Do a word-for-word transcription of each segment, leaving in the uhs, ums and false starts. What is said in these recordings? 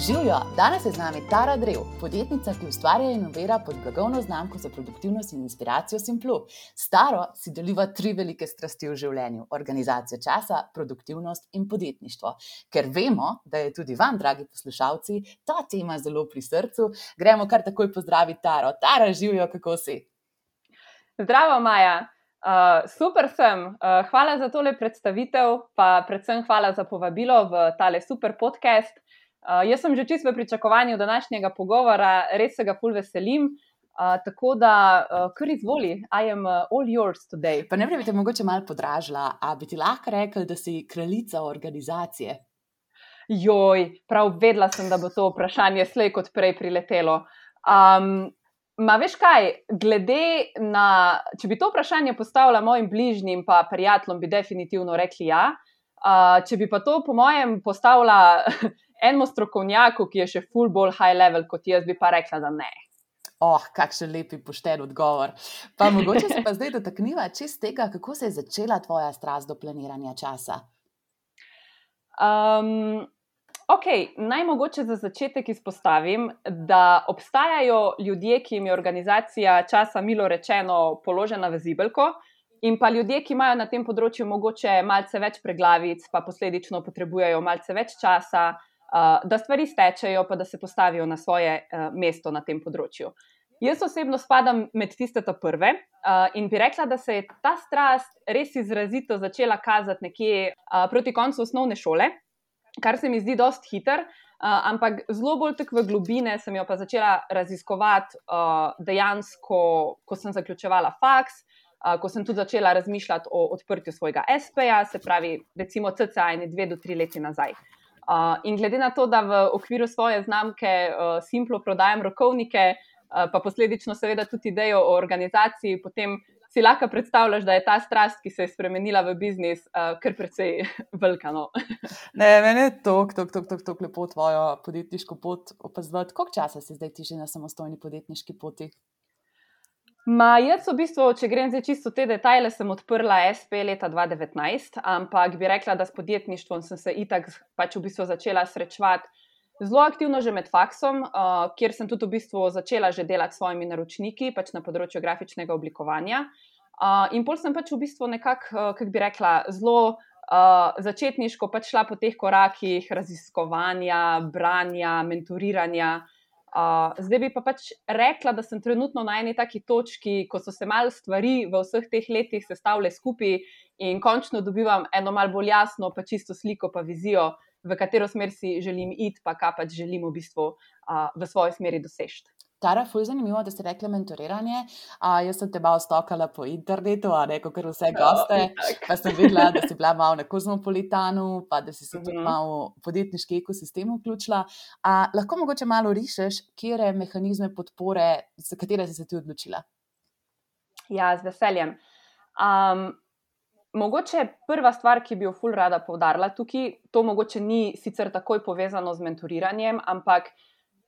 Živjo, danes je z nami Tara Drev, podjetnica, ki ustvarja in inovira pod blagovno znamko za produktivnost in inspiracijo Simplu. S Taro si deliva tri velike strasti v življenju: organizacijo časa, produktivnost in podjetništvo. Ker vemo, da je tudi vam, dragi poslušalci, ta tema zelo pri srcu, gremo kar takoj pozdraviti Taro. Tara, živjo, kako si? Zdravo, Maja. Uh, super sem. Uh, hvala za tole predstavitev, pa predvsem hvala za povabilo v tale super podcast. Uh, jaz sem že čisto v pričakovanju današnjega pogovora, res se ga ful veselim, uh, tako da uh, kar izvoli, I am uh, all yours today. Pa najprej bi te mogoče malo podražila, a bi ti lahko rekli, da si kraljica organizacije? Joj, prav vedela sem, da bo to vprašanje slej kot prej priletelo. Um, ma veš kaj, glede na, če bi to vprašanje postavila mojim bližnjim pa prijateljem, bi definitivno rekli ja. Uh, če bi pa to po mojem postavila enemu strokovnjaku, ki je še ful bolj high level kot jaz, bi pa rekla, da ne. Oh, kakšen lepi pošten odgovor. Pa mogoče se pa zdaj dotakniva čist tega, kako se je začela tvoja strast do planiranja časa? Um, ok, naj mogoče za začetek izpostavim, da obstajajo ljudje, ki jim je organizacija časa milo rečeno položena v zibelko, in pa ljudje, ki imajo na tem področju mogoče malce več preglavic, pa posledično potrebujejo malce več časa, uh, da stvari stečejo, pa da se postavijo na svoje uh, mesto na tem področju. Jaz osebno spadam med tiste ta prve uh, in bi rekla, da se je ta strast res izrazito začela kazati nekje uh, proti koncu osnovne šole, kar se mi zdi dosti hiter, uh, ampak zelo bolj tak v globine sem jo pa začela raziskovati uh, dejansko, ko sem zaključevala faks, Uh, ko sem tudi začela razmišljati o odprtju svojega espeja, se pravi recimo cca ene dve do tri leti nazaj. Uh, in glede na to, da v okviru svoje znamke uh, Simplu prodajam rokovnike, uh, pa posledično seveda tudi idejo o organizaciji, potem si lahko predstavljaš, da je ta strast, ki se je spremenila v biznis, uh, kar precej velika. No. Ne, meni je tok, tok, tok, tok, tok lepo tvojo podjetniško pot opazovati. Koliko časa si zdaj ti že na samostojni podjetniški poti? Ma, jaz v bistvu, če grem zdaj čisto te detajle, sem odprla espe leta dva tisoč devetnajst, ampak bi rekla, da s podjetništvom sem se itak pač v bistvu začela srečevati zelo aktivno že med faksom, uh, kjer sem tudi v bistvu začela že delati s svojimi naročniki, pač na področju grafičnega oblikovanja. Uh, in pol sem pač v bistvu nekako, uh, kako bi rekla, zelo uh, začetniško pač šla po teh korakih raziskovanja, branja, mentoriranja. Uh, zdaj bi pa pač rekla, da sem trenutno na eni taki točki, ko so se malo stvari v vseh teh letih sestavile skupaj in končno dobivam eno malo bolj jasno, pa čisto sliko, pa vizijo, v katero smer si želim iti, pa kaj pač želim v bistvu uh, v svoji smeri doseči. Tara, ful zanimivo, da ste rekli mentoriranje. A, jaz sem te malo stalkala po internetu, a ne, kakor vse goste, oh, pa sem videla, da si bila malo na Kozmopolitanu, pa da si se tudi mm-hmm. malo v podjetniški ekosistem vključila. A, lahko mogoče malo rišeš, kere mehanizme podpore, za katere si se ti odločila? Ja, z veseljem. Um, mogoče prva stvar, ki bi jo ful rada poudarila tukaj, to mogoče ni sicer takoj povezano z mentoriranjem, ampak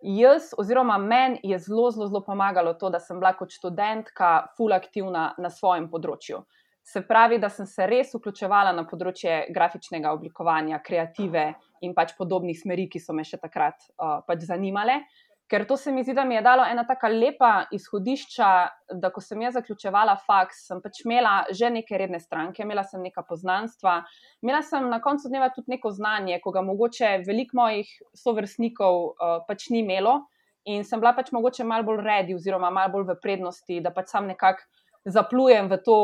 jaz oziroma meni je zelo, zelo, zelo pomagalo to, da sem bila kot študentka ful aktivna na svojem področju. Se pravi, da sem se res vključevala na področje grafičnega oblikovanja, kreative in pač podobnih smeri, ki so me še takrat uh, pač zanimale. Ker to se mi zdi, da mi je dalo ena taka lepa izhodišča, da ko sem jaz zaključevala faks, sem pač imela že neke redne stranke, imela sem neka poznanstva, imela sem na koncu dneva tudi neko znanje, ko ga mogoče veliko mojih sovrstnikov uh, pač ni imelo in sem bila pač mogoče malo bolj ready oziroma malo bolj v prednosti, da pač sam nekako zaplujem v to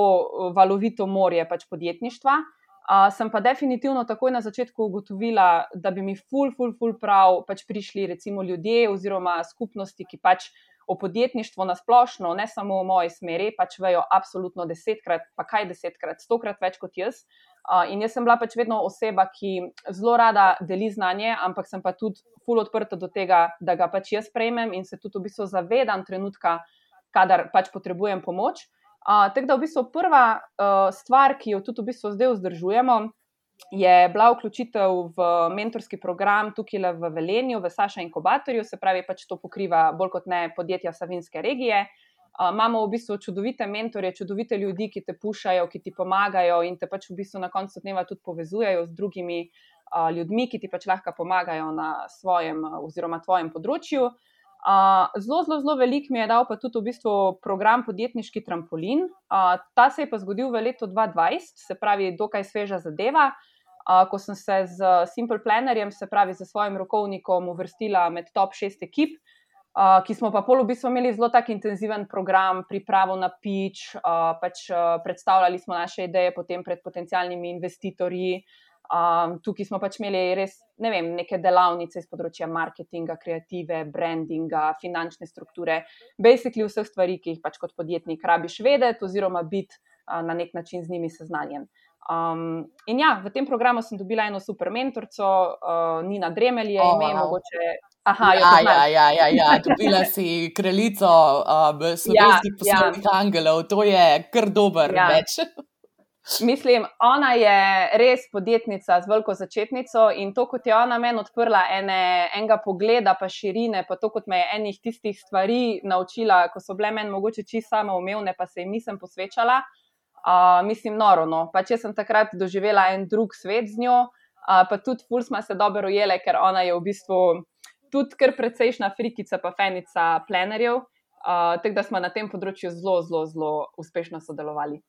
valovito morje pač podjetništva. Uh, sem pa definitivno takoj na začetku ugotovila, da bi mi ful, ful, ful prav pač prišli recimo ljudje oziroma skupnosti, ki pač o podjetništvu nasplošno, ne samo v moji smeri, pač vejo absolutno desetkrat, pa kaj desetkrat, stokrat več kot jaz. Uh, in jaz sem bila pač vedno oseba, ki zelo rada deli znanje, ampak sem pa tudi ful odprta do tega, da ga pač jaz prejmem in se tudi v bistvu zavedam trenutka, kadar pač potrebujem pomoč. Uh, tako da v bistvu prva uh, stvar, ki jo tudi v bistvu zdaj vzdržujemo, je bila vključitev v mentorski program tukaj v Velenju, v Saša inkubatorju, se pravi pač to pokriva bolj kot ne podjetja Savinjske regije. Uh, imamo v bistvu čudovite mentorje, čudovite ljudi, ki te pušajo, ki ti pomagajo in te pač v bistvu na koncu dneva tudi povezujejo z drugimi uh, ljudmi, ki ti pač lahko pomagajo na svojem uh, oziroma tvojem področju. Uh, zelo, zelo, zelo velik mi je dal pa tudi v bistvu program Podjetniški trampolin. Uh, ta se je pa zgodil v letu dva tisoč dvajset, se pravi dokaj sveža zadeva, uh, ko sem se z Simple Plannerjem, se pravi z svojim rokovnikom uvrstila med top šest ekip, Uh, ki smo pa pol v bistvu imeli zelo tak intenziven program, pripravo na pitch, uh, pač uh, predstavljali smo naše ideje potem pred potencialnimi investitorji. Um, tukaj smo pač imeli res, ne vem, neke delavnice iz področja marketinga, kreative, brandinga, finančne strukture, basically vseh stvari, ki jih pač kot podjetnik rabiš vedeti oziroma biti uh, na nek način z njimi seznanjen. Um, in ja, v tem programu sem dobila eno super mentorco, uh, Nina Dremelj je Oh, ime, wow. mogoče. Aha, jo Ja, poznaš. ja, ja, ja, ja. Dobila si kraljico um, slovenskih Ja, poslovnih angelov, to je kar dober Ja. meč. Mislim, ona je res podjetnica z veliko začetnico in to, kot je ona meni odprla ene, enega pogleda pa širine, pa to, kot me je enih tistih stvari naučila, ko so bile meni mogoče čisto samoumevne, pa se jim nisem posvečala, uh, mislim noro, no. Pač jaz sem takrat doživela en drug svet z njo, uh, pa tudi ful sva se dobro ujele, ker ona je v bistvu tudi kar precejšna frikica pa fenica plenerjev, uh, tako da smo na tem področju zelo, zelo, zelo uspešno sodelovali.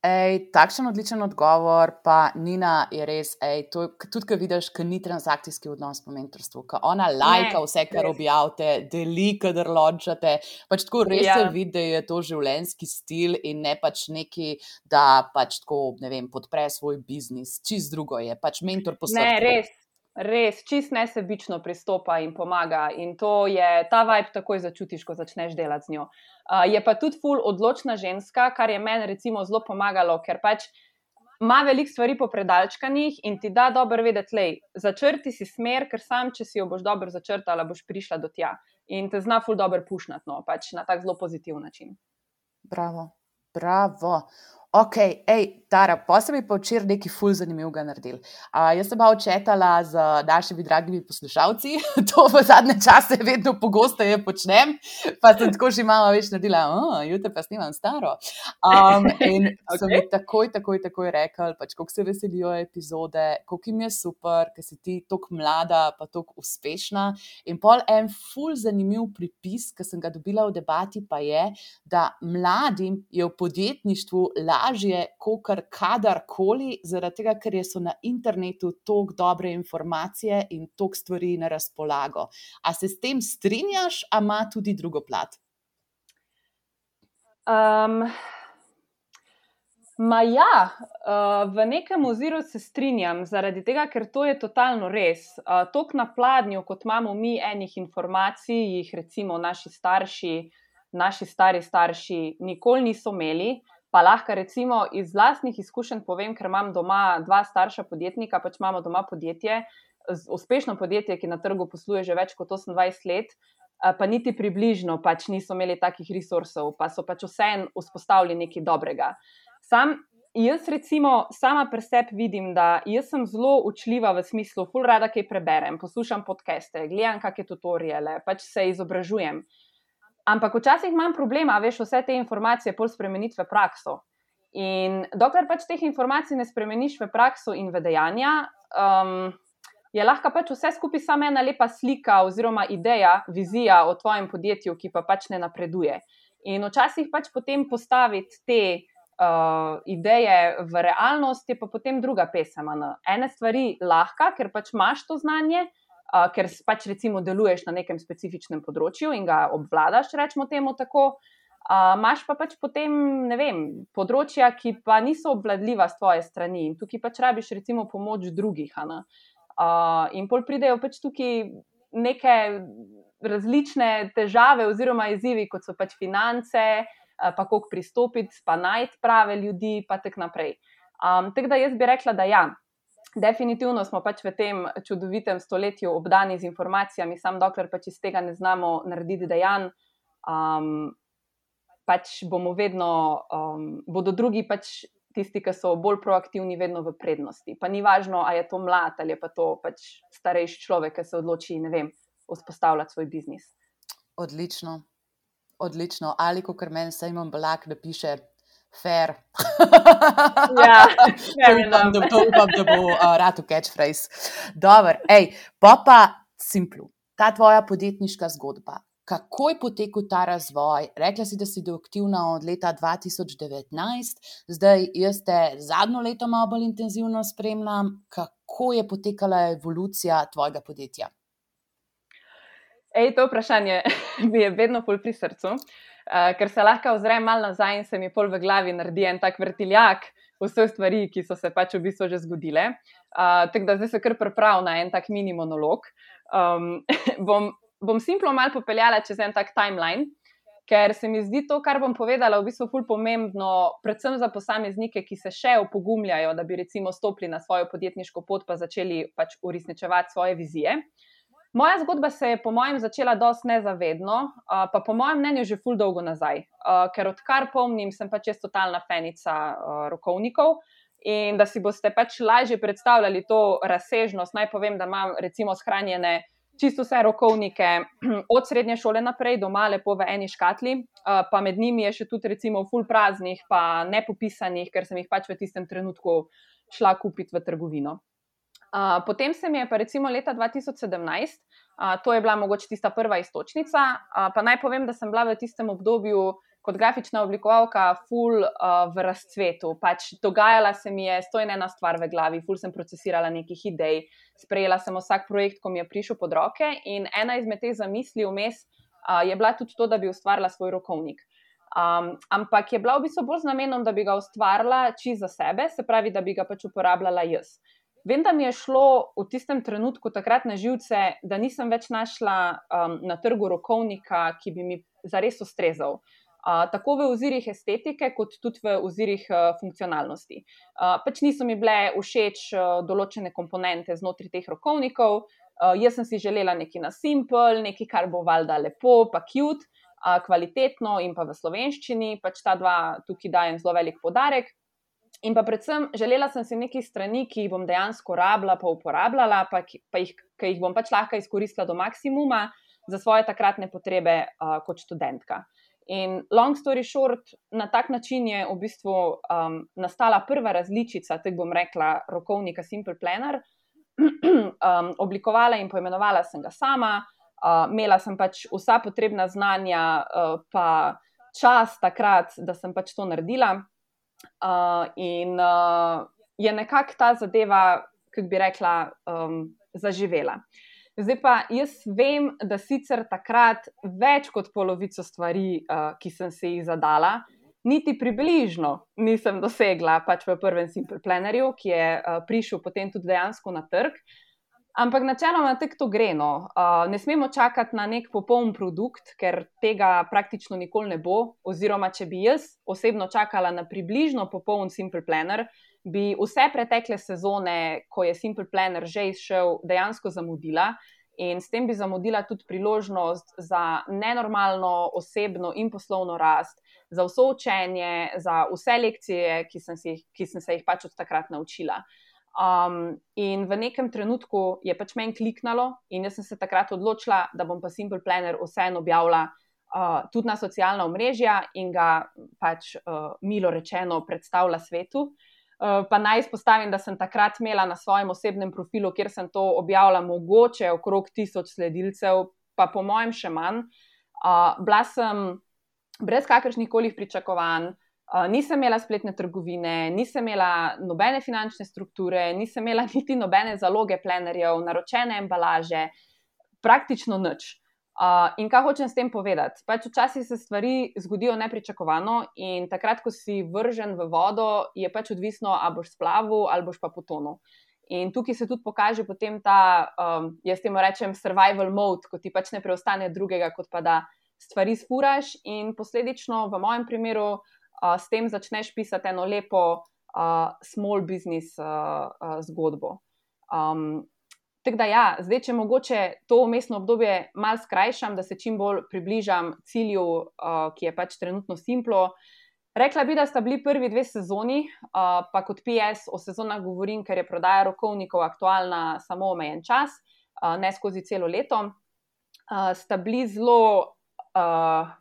Ej, takšen odličen odgovor, pa Nina je res, ej, to, tudi ko vidiš, ko ni transakcijski odnos po mentorstvu, ko ona lajka vse, kar res. objavite, deli, kadar launchate, pač tako res Ja. se vidi, da je to življenjski stil in ne pač neki, da pač tako, ne vem, podpre svoj biznis, čist drugo je, pač mentor po Ne, srcu. res, res, čist nesebično pristopa in pomaga in to je, ta vibe takoj začutiš, ko začneš delati z njo. Uh, je pa tudi ful odločna ženska, kar je meni recimo zelo pomagalo, ker pač ima veliko stvari popredalčkanih in ti da dobro vedeti, lej, začrti si smer, ker sam, če si jo boš dobro začrtala, boš prišla do tja in te zna ful dobro pušnati, no, pač na tak zelo pozitiv način. Bravo, bravo. Ok, ej, Tara, posebej pa včeraj nekaj ful zanimivega naredili. Uh, jaz sem pa očetala z našimi dragimi poslušalci, to v zadnje čase vedno pogosteje počnem, pa sem tako že malo več naredila, oh, jutri pa snimam staro. Um, in okay. so mi takoj, takoj, takoj rekli, pač koliko se veselijo epizode, koliko jim je super, ker si ti toliko mlada pa toliko uspešna. In pol en ful zanimiv pripis, ki sem ga dobila v debati, pa je, da mladim je v podjetništvu lažje kakor kadarkoli, zaradi tega, ker so na internetu toliko dobre informacije in toliko stvari na razpolago. A se s tem strinjaš, a ima tudi drugo plat? Um, ma ja, uh, v nekem oziru se strinjam, zaradi tega, ker to je totalno res. Uh, toliko na pladnju, kot imamo mi enih informacij, jih recimo naši starši, naši stari starši nikoli niso imeli, pa lahko recimo iz lastnih izkušenj povem, ker imam doma dva starša podjetnika, pač imamo doma podjetje, uspešno podjetje, ki na trgu posluje že več kot osemindvajset let, pa niti približno pač niso imeli takih resursov, pa so pač vseeno vzpostavili nekaj dobrega. Sam, jaz recimo sama pri sebi vidim, da jaz sem zelo učljiva v smislu, ful rada kaj preberem, poslušam podcaste, gledam kakšne tutoriale, pač se izobražujem. Ampak včasih imam problema, veš, vse te informacije pol spremeniti v prakso. In dokler pač teh informacij ne spremeniš v prakso in v dejanja, um, je lahko pač vse skupaj samo ena lepa slika oziroma ideja, vizija o tvojem podjetju, ki pa pač ne napreduje. In včasih pač potem postaviti te uh, ideje v realnost je pa potem druga pesem. Ene stvari lahko, ker pač imaš to znanje, Uh, ker pač recimo deluješ na nekem specifičnem področju in ga obvladaš, rečemo temu tako, uh, imaš pa pač potem, ne vem, področja, ki pa niso obvladljiva s tvoje strani in tukaj pač rabiš recimo pomoč drugih. Uh, in pol pridejo pač tukaj neke različne težave oziroma izzivi, kot so pač finance, uh, pa kako pristopiti, pa najti prave ljudi, pa tak naprej. Um, tako da jaz bi rekla, da ja. Definitivno smo pač v tem čudovitem stoletju obdani z informacijami, sam dokler pač iz tega ne znamo narediti dejanj, um, pač bomo vedno, um, bodo drugi pač tisti, ki so bolj proaktivni, vedno v prednosti. Pa ni važno, a je to mlad ali je pa to pač starejši človek, ki se odloči, ne vem, vzpostavljati svoj biznis. Odlično, odlično. Ali kakor meni Simon Belak napiše, Fair. Ja, To upam, da, to upam, da bo uh, rad v catchphrase. Dobro, ej, pa pa Simplu, ta tvoja podjetniška zgodba. Kako je potekal ta razvoj? Rekla si, da si aktivna od leta dva tisoč devetnajst, zdaj jaz te zadnjo leto malo bolj intenzivno spremljam. Kako je potekala evolucija tvojega podjetja? Ej, to vprašanje mi je vedno pol pri srcu. Uh, ker se lahko ozrem malo nazaj in se mi pol v glavi naredi en tak vrtiljak vseh stvari, ki so se pač v bistvu že zgodile. Uh, tako da zdaj se kar pripravim na en tak mini monolog. Um, bom, bom Simplo malo popeljala čez en tak timeline, ker se mi zdi to, kar bom povedala, v bistvu ful pomembno, predvsem za posameznike, ki se še opogumljajo, da bi recimo stopili na svojo podjetniško pot pa začeli pač uresničevati svoje vizije. Moja zgodba se je po mojem začela dosti nezavedno, pa po mojem mnenju že ful dolgo nazaj, ker odkar pomnim, sem pač jaz totalna fenica rokovnikov in da si boste pač lažje predstavljali to razsežnost, naj povem, da imam recimo shranjene čisto vse rokovnike od srednje šole naprej doma lepo v eni škatli, pa med njimi je še tudi recimo ful praznih pa nepopisanih, ker sem jih pač v tistem trenutku šla kupiti v trgovino. Uh, potem se mi je pa recimo leta dva tisoč sedemnajst, uh, to je bila mogoče tista prva iztočnica, uh, pa naj povem, da sem bila v tistem obdobju kot grafična oblikovalka ful uh, v razcvetu. Pač dogajala se mi je sto in ena stvar v glavi, ful sem procesirala nekih idej, sprejela sem vsak projekt, ko mi je prišel pod roke in ena izmed teh zamisli vmes uh, je bila tudi to, da bi ustvarila svoj rokovnik. Um, ampak je bila v bistvu bolj z namenom, da bi ga ustvarila čisto za sebe, se pravi, da bi ga pač uporabljala jaz. Vem, da mi je šlo v tistem trenutku takrat na živce, da nisem več našla um, na trgu rokovnika, ki bi mi zares ustrezal. Uh, tako v ozirih estetike, kot tudi v ozirih uh, funkcionalnosti. Uh, pač niso mi bile všeč uh, določene komponente znotraj teh rokovnikov. Uh, jaz sem si želela nekaj na simple, nekaj, kar bo valjda lepo, pa cute, uh, kvalitetno in pa v slovenščini. Pač ta dva tukaj dajem zelo velik poudarek. In pa predvsem želela sem si nekaj strani, ki jih bom dejansko rabila, pa uporabljala, pa, ki, pa jih, ki jih bom pač lahko izkoristila do maksimuma za svoje takratne potrebe uh, kot študentka. In long story short, na tak način je v bistvu um, nastala prva različica, tako bom rekla, rokovnika Simple Planner. um, oblikovala in poimenovala sem ga sama, uh, imela sem pač vsa potrebna znanja, uh, pa čas takrat, da sem pač to naredila. Uh, in uh, je nekako ta zadeva, kako bi rekla, um, zaživela. Zdaj pa jaz vem, da sicer takrat več kot polovico stvari, uh, ki sem se jih zadala, niti približno nisem dosegla pač v prvem Simple Plannerju, ki je uh, prišel potem tudi dejansko na trg. Ampak načeloma tako to gre, no. Uh, ne smemo čakati na nek popoln produkt, ker tega praktično nikoli ne bo, oziroma če bi jaz osebno čakala na približno popoln Simple Planner, bi vse pretekle sezone, ko je Simple Planner že izšel, dejansko zamudila in s tem bi zamudila tudi priložnost za nenormalno osebno in poslovno rast, za vso učenje, za vse lekcije, ki sem, si, ki sem se jih pač od takrat naučila. Um, in v nekem trenutku je pač meni kliknalo in jaz sem se takrat odločila, da bom pa Simple Planner vseeno objavila uh, tudi na socialna omrežja in ga pač uh, milo rečeno predstavila svetu. Uh, pa naj izpostavim, da sem takrat imela na svojem osebnem profilu, kjer sem to objavila mogoče okrog tisoč sledilcev, pa po mojem še manj. Uh, bila sem brez kakršnih kolih pričakovanj. Uh, nisem imela spletne trgovine, nisem imela nobene finančne strukture, nisem imela niti nobene zaloge plenerjev, naročene embalaže, praktično nič. Uh, in kaj hočem s tem povedati? Pač včasih se stvari zgodijo nepričakovano in takrat, ko si vržen v vodo, je pač odvisno, a boš splavil ali boš pa potonil. In tukaj se tudi pokaže potem ta, um, jaz temu rečem survival mode, ko ti pač ne preostane drugega, kot pa da stvari sfuraš in posledično v mojem primeru Uh, s tem začneš pisati eno lepo uh, small business uh, uh, zgodbo. Um, tako da ja, zdaj, če mogoče to vmesno obdobje malo skrajšam, da se čim bolj približam cilju, uh, ki je pač trenutno Simplo. Rekla bi, da sta bili prvi dve sezoni, uh, pa kot P S o sezonah govorim, ker je prodaja rokovnikov aktualna samo omejen čas, uh, ne skozi celo leto. Uh, sta bili zelo... Uh,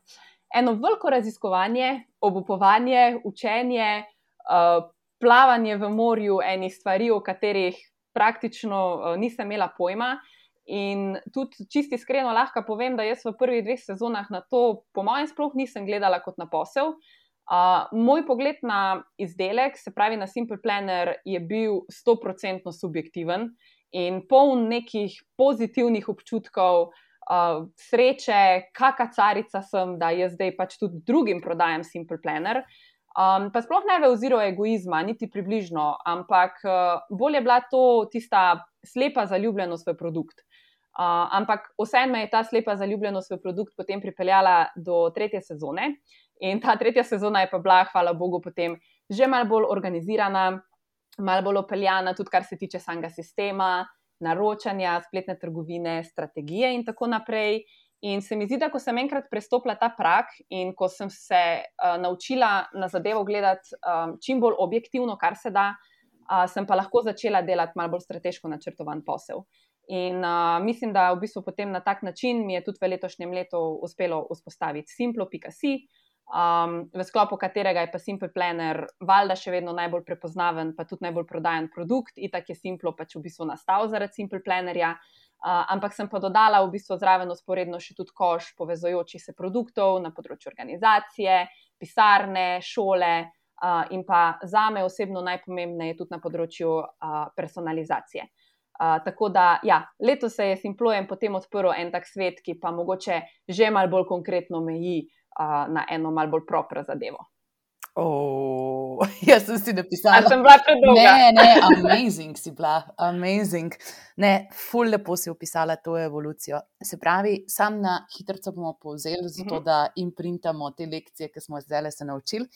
eno veliko raziskovanje, obupovanje, učenje, uh, plavanje v morju enih stvari, o katerih praktično uh, nisem imela pojma. In tudi čisto iskreno lahko povem, da jaz v prvih dveh sezonah na to, po mojem, sploh nisem gledala kot na posel. Uh, moj pogled na izdelek, se pravi na Simple Planner, je bil sto procentno subjektiven in poln nekih pozitivnih občutkov, uh, sreče, kaka carica sem, da jaz zdaj pač tudi drugim prodajam Simple Planner. Um, pa sploh ne v oziru egoizma, niti približno, ampak uh, bolj je bila to tista slepa zaljubljenost v produkt. Uh, ampak vseeno me je ta slepa zaljubljenost v produkt potem pripeljala do tretje sezone in ta tretja sezona je pa bila, hvala Bogu, potem že malo bolj organizirana, malo bolj opeljana, tudi kar se tiče samega sistema, naročanja, spletne trgovine, strategije in tako naprej. In se mi zdi, da ko sem enkrat prestopila ta prag in ko sem se uh, naučila na zadevo gledati um, čim bolj objektivno, kar se da, uh, sem pa lahko začela delati malo bolj strateško načrtovan posel. In uh, mislim, da v bistvu potem na tak način mi je tudi v letošnjem letu uspelo vzpostaviti simplo pika si, um, v sklopu katerega je pa Simple Planner valjda še vedno najbolj prepoznaven, pa tudi najbolj prodajan produkt. Itak je Simplo pač v bistvu nastal zaradi Simple Plannerja, uh, ampak sem pa dodala v bistvu zraven usporedno še tudi koš povezujočih se produktov na področju organizacije, pisarne, šole uh, in pa zame osebno najpomembneje tudi na področju uh, personalizacije. Uh, tako da, ja, letos se je Simplojem potem odprl en tak svet, ki pa mogoče že malo bolj konkretno meji uh, na eno malo bolj propro zadevo. Oh, jaz sem si napisala. A sem bila predolga? Ne, ne, amazing si bila, amazing. Ne, ful lepo si opisala to evolucijo. Se pravi, sam na hitrico bomo povzeli, zato Mhm. da imprintamo te lekcije, ki smo zdaj se naučili.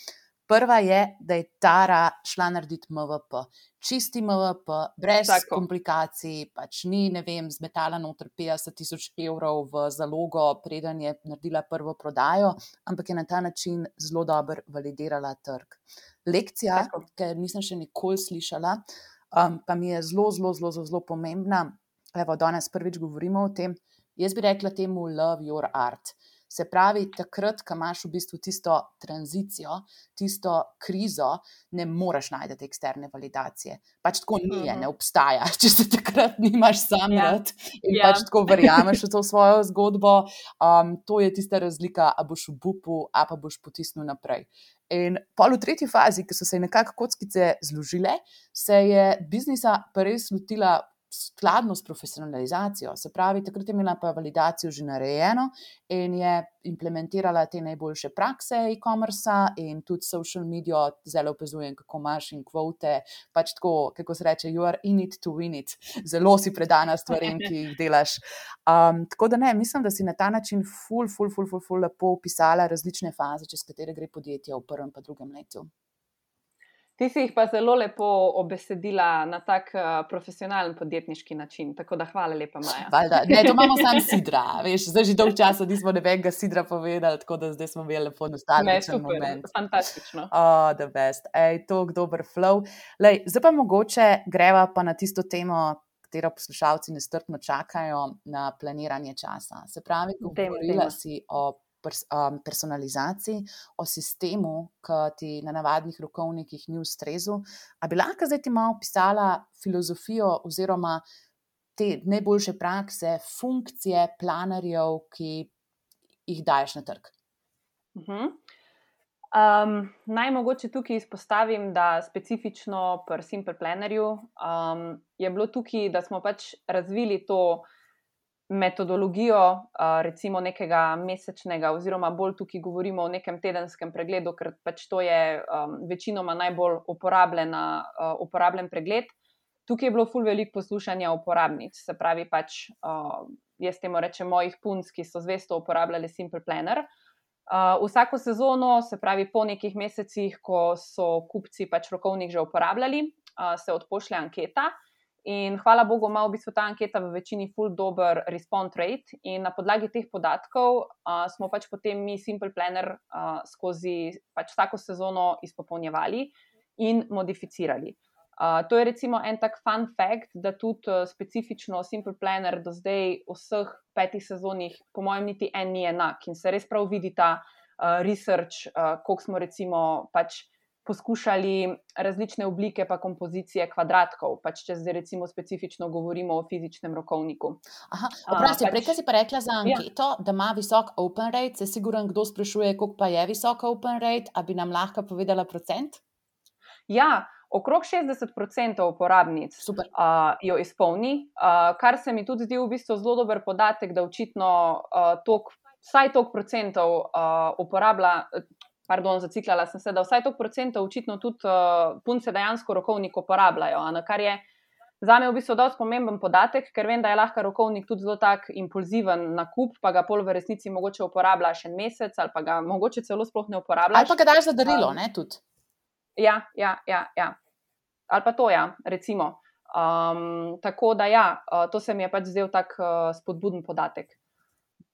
Prva je, da je Tara šla narediti M V P. Čisti M V P, brez Tako. komplikacij, pač ni, ne vem, zmetala noter petdeset tisoč evrov v zalogo, preden je naredila prvo prodajo, ampak je na ta način zelo dobro validirala trg. Lekcija, Tako. ker nisem še nikoli slišala, um, pa mi je zelo, zelo, zelo, zelo, zelo pomembna. Evo, danes prvič govorimo o tem. Jaz bi rekla temu love your art. Se pravi, takrat, ko imaš v bistvu tisto tranzicijo, tisto krizo, ne moreš najti eksterne validacije. Pač tako ni, je, Mhm. ne obstaja. Če se takrat nimaš sam Ja. rad in Ja. pač tako verjameš v to svojo zgodbo, um, to je tista razlika, a boš obupu, a pa boš potisnil naprej. In pol v tretji fazi, ki so se nekako kockice zložile, se je biznisa pa res lotila skladno s profesionalizacijo. Se pravi, takrat je imela pa validacijo že narejeno in je implementirala te najboljše prakse e-commerce in tudi social media, zelo opazujem, kako imaš in kvote, pač tako, kako se reče, you are in it to win it. Zelo si predana stvarem, ki jih delaš. Um, tako da ne, mislim, da si na ta način ful, ful, ful, ful, ful lepo opisala različne faze, čez katere gre podjetje v prvem pa drugem letu. Ti si jih pa zelo lepo obesedila na tak uh, profesionalen podjetniški način, tako da hvala lepa, Maja. Valjda, ne, to imamo sam sidra, veš, zdaj že dolg časa nismo nobenega sidra povedali, tako da zdaj smo imeli lepo Ne, nostalgičen super, moment. fantastično. Oh, the best. Ej, tok dober flow. Lej, zdaj pa mogoče greva pa na tisto temo, katero poslušalci nestrpno čakajo, na planiranje časa. Se pravi, Dajmo, govorila dajmo. si o pers um, personalizaciji, o sistemu, ki ti na navadnih rokovnikih ni ustrezal. A bi lahko zdaj ti malo opisala filozofijo oziroma te najboljše prakse, funkcije planarjev, ki jih daješ na trg? Mhm. Um, naj mogoče tukaj izpostavim, da specifično pri Simple Plannerju um, je bilo tukaj, da smo pač razvili to metodologijo, uh, recimo nekega mesečnega, oziroma bolj tukaj govorimo o nekem tedenskem pregledu, ker pač to je um, večinoma najbolj uporabljena, uh, uporabljen pregled. Tukaj je bilo ful veliko poslušanja uporabnic, se pravi pač, uh, jaz temu rečem mojih punc, ki so zvesto uporabljali Simple Planner. Uh, vsako sezono, se pravi po nekih mesecih, ko so kupci pač rokovnik že uporabljali, uh, se odpošlje anketa in hvala Bogu ima v bistvu ta anketa v večini ful dober respond rate in na podlagi teh podatkov uh, smo pač potem mi Simple Planner uh, skozi pač vsako sezono izpopolnjevali in modificirali. Uh, to je recimo en tak fun fact, da tudi uh, specifično Simple Planner do zdaj v vseh petih sezonih, po mojem, niti en ni enak in se res prav vidi ta uh, research, uh, koliko smo recimo pač poskušali različne oblike pa kompozicije kvadratkov, pač če zdaj recimo specifično govorimo o fizičnem rokovniku. Aha, oprosti, Uh, pač- prej, kaj si pa rekla za Ja. anketo, da ima visok open rate, se siguran, kdo sprašuje, koliko pa je visok open rate, a bi nam lahko povedala procent? Ja, okrog šestdeset procentov uporabnic Super. uh, jo izpolni, uh, kar se mi tudi zdi v bistvu zelo dober podatek, da očitno uh, tok, vsaj toliko procentov uh, uporablja, pardon, zaciklala sem se, da vsaj toliko procentov očitno tudi uh, punce dejansko rokovnik uporabljajo, a na kar je zame v bistvu dosti pomemben podatek, ker vem, da je lahko rokovnik tudi zelo tak impulziven nakup, pa ga pol v resnici mogoče uporabljaš en mesec ali pa ga mogoče celo sploh ne uporabljaš. Ali pa ga daš za darilo, Um, ne, tudi. Ja, ja, ja, ja. Ali pa to, ja, recimo. Um, tako da, ja, uh, to se mi je pač zdel tak uh, spodbuden podatek.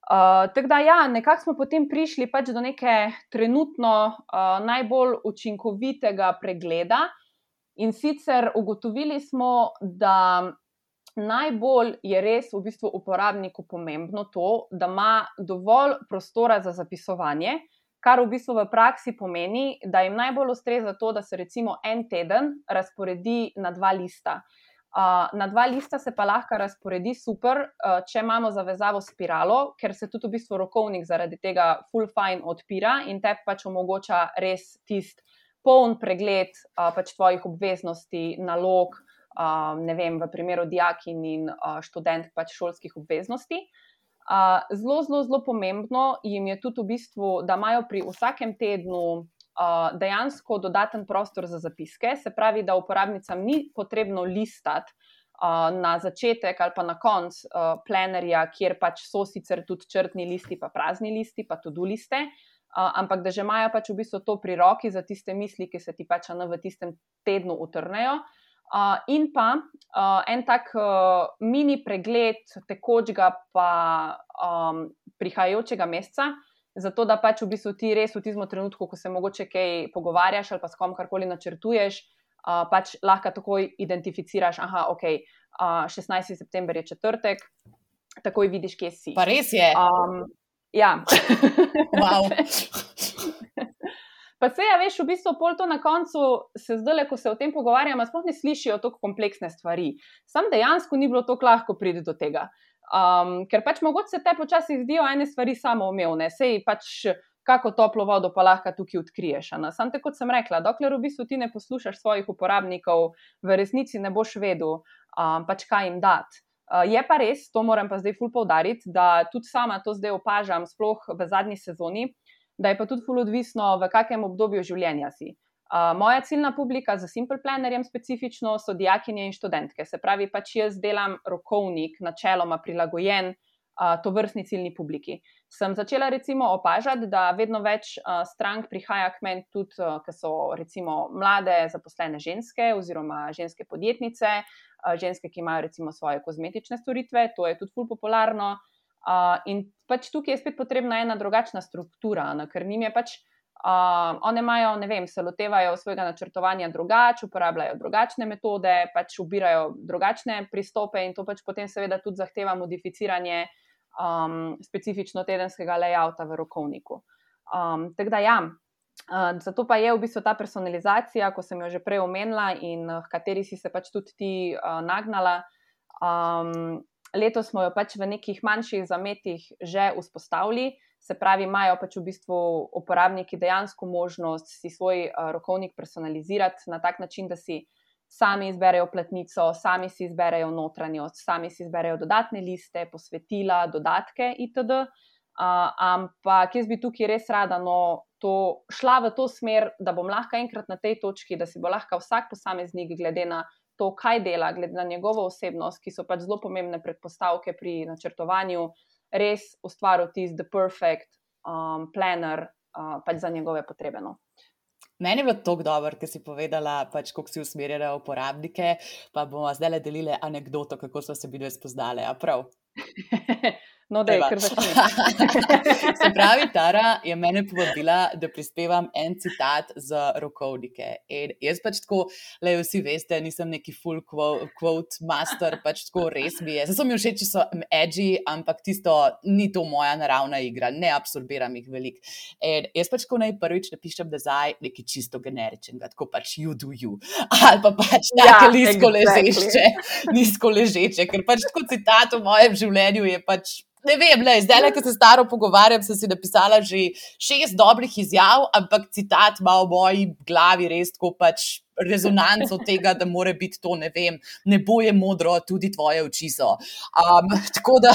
Uh, tako da, ja, nekako smo potem prišli pač do neke trenutno uh, najbolj učinkovitega pregleda, in sicer ugotovili smo, da najbolj je res v bistvu uporabniku pomembno to, da ima dovolj prostora za zapisovanje, kar v bistvu v praksi pomeni, da jim najbolj ustreza to, da se recimo en teden razporedi na dva lista. Uh, na dva lista se pa lahko razporedi super, uh, če imamo zavezavo spiralo, ker se tudi v bistvu rokovnik zaradi tega full fine odpira in te pač omogoča res tist poln pregled uh, pač tvojih obveznosti, nalog, uh, ne vem, v primeru dijakinj in uh, študent pač šolskih obveznosti. Uh, zelo, zelo, zelo pomembno jim je tudi v bistvu, da imajo pri vsakem tednu Uh, dejansko dodaten prostor za zapiske, se pravi, da uporabnicam ni potrebno listati uh, na začetek ali pa na konc uh, plenerja, kjer pač so sicer tudi črtni listi, pa prazni listi, pa to-do liste, uh, ampak da že imajo pač v bistvu to pri roki za tiste misli, ki se ti pač v tistem tednu utrnejo. Uh, in pa uh, en tak uh, mini pregled tekočega pa um, prihajajočega meseca, zato da pač v bistvu ti res v tistem trenutku, ko se mogoče kaj pogovarjaš ali pa s kom karkoli načrtuješ, uh, pač lahko takoj identificiraš, aha, ok, uh, šestnajsti september je četrtek, takoj vidiš, kje si. Pa res je. Um, ja. Wow. Pa se ja, veš, v bistvu pol to na koncu se zdaj, ko se o tem pogovarjamo, sploh ne slišijo toliko kompleksne stvari. Sam dejansko ni bilo toliko lahko priti do tega. Um, ker pač mogoče se te počasi zdijo ene stvari samoumevne, sej pač kako toplo vodo pa lahko tukaj odkriješ. Sam te, kot sem rekla, dokler v bistvu ti ne poslušaš svojih uporabnikov, v resnici ne boš vedel, um, pač kaj jim dati. Uh, je pa res, to moram pa zdaj ful poudariti, da tudi sama to zdaj opažam, sploh v zadnji sezoni, da je pa tudi ful odvisno, v kakem obdobju življenja si. Uh, moja ciljna publika za Simple Plannerjem specifično so dijakinje in študentke, se pravi, pač jaz delam rokovnik načeloma prilagojen uh, tovrstni ciljni publiki. Sem začela recimo opažati, da vedno več uh, strank prihaja k meni tudi, uh, ki so recimo mlade zaposlene ženske oziroma ženske podjetnice, uh, ženske, ki imajo recimo svoje kozmetične storitve, to je tudi ful popularno. Uh, in pač tukaj je spet potrebna ena drugačna struktura, ne, ker njim je pač Uh, one imajo, ne vem, se lotevajo svojega načrtovanja drugače, uporabljajo drugačne metode, pač ubirajo drugačne pristope in to pač potem seveda tudi zahteva modificiranje um, specifično tedenskega layouta v rokovniku. Um, tako da ja, uh, zato pa je v bistvu ta personalizacija, ko sem jo že prej omenila in v kateri si se pač tudi ti uh, nagnala. Um, letos smo jo pač v nekih manjših zametih že vzpostavili. Se pravi, imajo pač v bistvu uporabniki dejansko možnost si svoj uh, rokovnik personalizirati na tak način, da si sami izberejo platnico, sami si izberejo notranjost, sami si izberejo dodatne liste, posvetila, dodatke itd. Uh, ampak jaz bi tukaj res rada no, to, šla v to smer, da bom lahko enkrat na tej točki, da si bo lahko vsak posameznik glede na to, kaj dela, glede na njegovo osebnost, ki so pač zelo pomembne predpostavke pri načrtovanju, res ustvaril tisti the perfect um, planner uh, pač za njegove potrebe. No. Meni je bilo tako dobro, ker si povedala, pač, kako si usmerjala uporabnike, pa bomo zdaj delili anekdoto, kako so se bile spoznale. A prav? No, da je kar začne. Se pravi, Tara je mene povabila, da prispevam en citat za rokovnike. In jaz pač tako, le vsi veste, nisem neki full quote master, pač tako res mi je. Zdaj so mi všeč, če so edgy, ampak tisto ni to moja naravna igra, ne absorbiram jih veliko. In jaz pač tako najprvič napišem nazaj nekaj čisto generičnega, tako pač you do you. Ali pa pač tako ja, nizko exactly. ležeče, nizko ležeče, ker pač tako citat v mojem življenju je pač, ne vem, le, zdaj, ko se staro pogovarjam, sem si napisala že šest dobrih izjav, ampak citat ima v moji glavi res tako pač rezonanco tega, da mora biti to, ne vem, nebo je modro, tudi tvoje oči so. Um, tako da,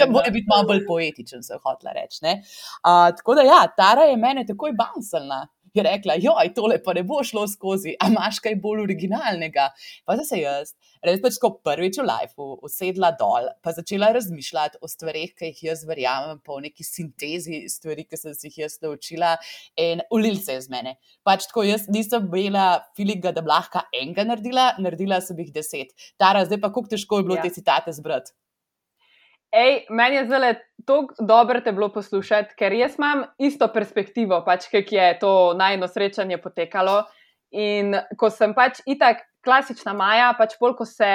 da mora biti malo bolj poetičen, sem hotela reči. Uh, tako da ja, Tara je mene takoj bouncelna. Je rekla, joj, tole pa ne bo šlo skozi, a imaš kaj bolj originalnega? Pa zdaj se jaz, res pač ko prvič v lifeu usedla dol, pa začela razmišljati o stvarih, ki jih jaz verjamem, pa o neki sintezi stvari, ki sem si jih jaz naučila in ulil se je z mene. Pač tako jaz nisem imela feelinga, da bi lahko enega naredila, naredila sem jih deset. Tara, zdaj pa koliko težko je bilo ja. te citate zbrati? Ej, meni je zdaj tako dobro te bilo poslušati, ker jaz imam isto perspektivo, pač, kak je to najino srečanje potekalo. In ko sem pač itak klasična Maja, pač polko, se,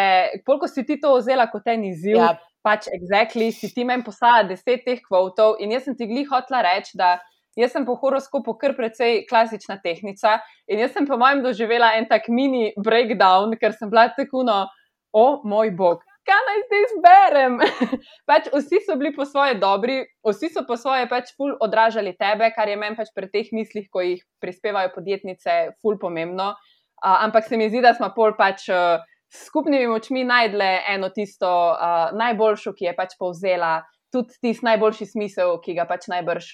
polko si ti to vzela kot en izziv, ja. pač exactly, si ti meni poslala deset teh kvotov in jaz sem ti glih hotela reči, da jaz sem po horoskopu kar precej klasična tehnica in jaz sem po mojem doživela en tak mini breakdown, ker sem bila takuno, o moj bog. Kaj naj zdaj zberem? Pač vsi so bili po svoje dobri, vsi so po svoje pač ful odražali tebe, kar je meni pač pri teh mislih, ko jih prispevajo podjetnice, ful pomembno. Uh, ampak se mi zdi, da smo pol pač uh, s skupnimi močmi najdle eno tisto uh, najboljšo, ki je pač povzela tudi tisti najboljši smisel, ki ga pač najbrž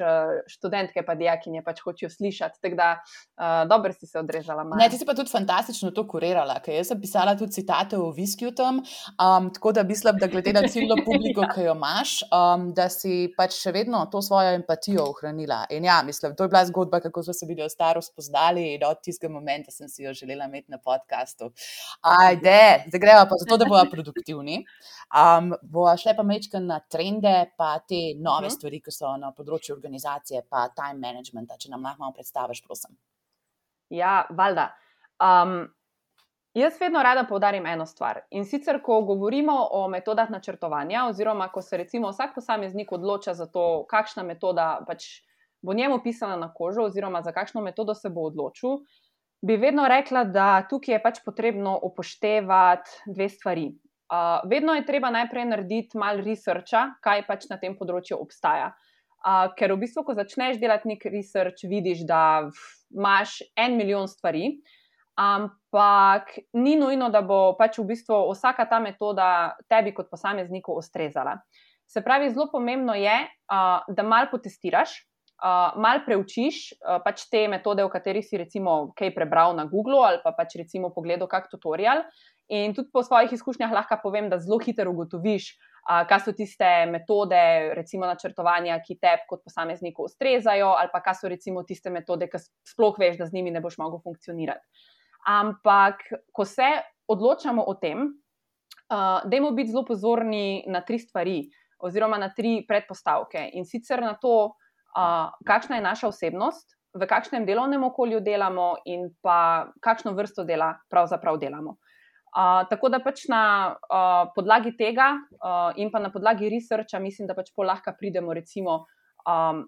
študentke pa dijakinje pač hočejo slišati. Tako da uh, dobro si se odrezala. Maja. Ne, ti si pa tudi fantastično to kurirala, ker jaz sem pisala tudi citate o viskiju tam, um, tako da mislim, da glede na ciljno publiko, ki jo imaš, um, da si pač še vedno to svojo empatijo ohranila. In ja, mislim, to je bila zgodba, kako so se video staro spoznali in od tistega momenta sem si jo želela imeti na podcastu. Ajde, zdaj greva pa zato, da bova produktivni. Um, bova šle pa mečkaj na trende, pa te nove uh-huh. stvari, ki so na področju organizacije, pa time managementa, če nam lahko malo predstaviš, prosim. Ja, valjda. Um, jaz vedno rada poudarim eno stvar. In sicer, ko govorimo o metodah načrtovanja, oziroma ko se recimo vsak posameznik odloča za to, kakšna metoda pač bo njemu pisana na kožo, oziroma za kakšno metodo se bo odločil, bi vedno rekla, da tukaj je pač potrebno upoštevati dve stvari. Uh, vedno je treba najprej narediti malo researcha, kaj pač na tem področju obstaja. Uh, ker v bistvu, ko začneš delati nek research, vidiš, da imaš en milijon stvari, ampak ni nujno, da bo pač v bistvu vsaka ta metoda tebi kot posamezniku ustrezala. Se pravi, zelo pomembno je, uh, da malo potestiraš, uh, malo preučiš uh, pač te metode, v katerih si recimo kaj prebral na Googlu ali pa pač recimo pogledal kak tutorial. In tudi po svojih izkušnjah lahko povem, da zelo hitro ugotoviš, uh, kaj so tiste metode, recimo načrtovanja, ki tebi kot posamezniku ustrezajo, ali pa kaj so recimo tiste metode, ki sploh veš, da z njimi ne boš mogel funkcionirati. Ampak, ko se odločamo o tem, uh, dajmo biti zelo pozorni na tri stvari, oziroma na tri predpostavke. In sicer na to, uh, kakšna je naša osebnost, v kakšnem delovnem okolju delamo in pa kakšno vrsto dela pravzaprav delamo. Uh, tako da pač na uh, podlagi tega uh, in pa na podlagi researcha mislim, da pač pol lahko pridemo recimo um,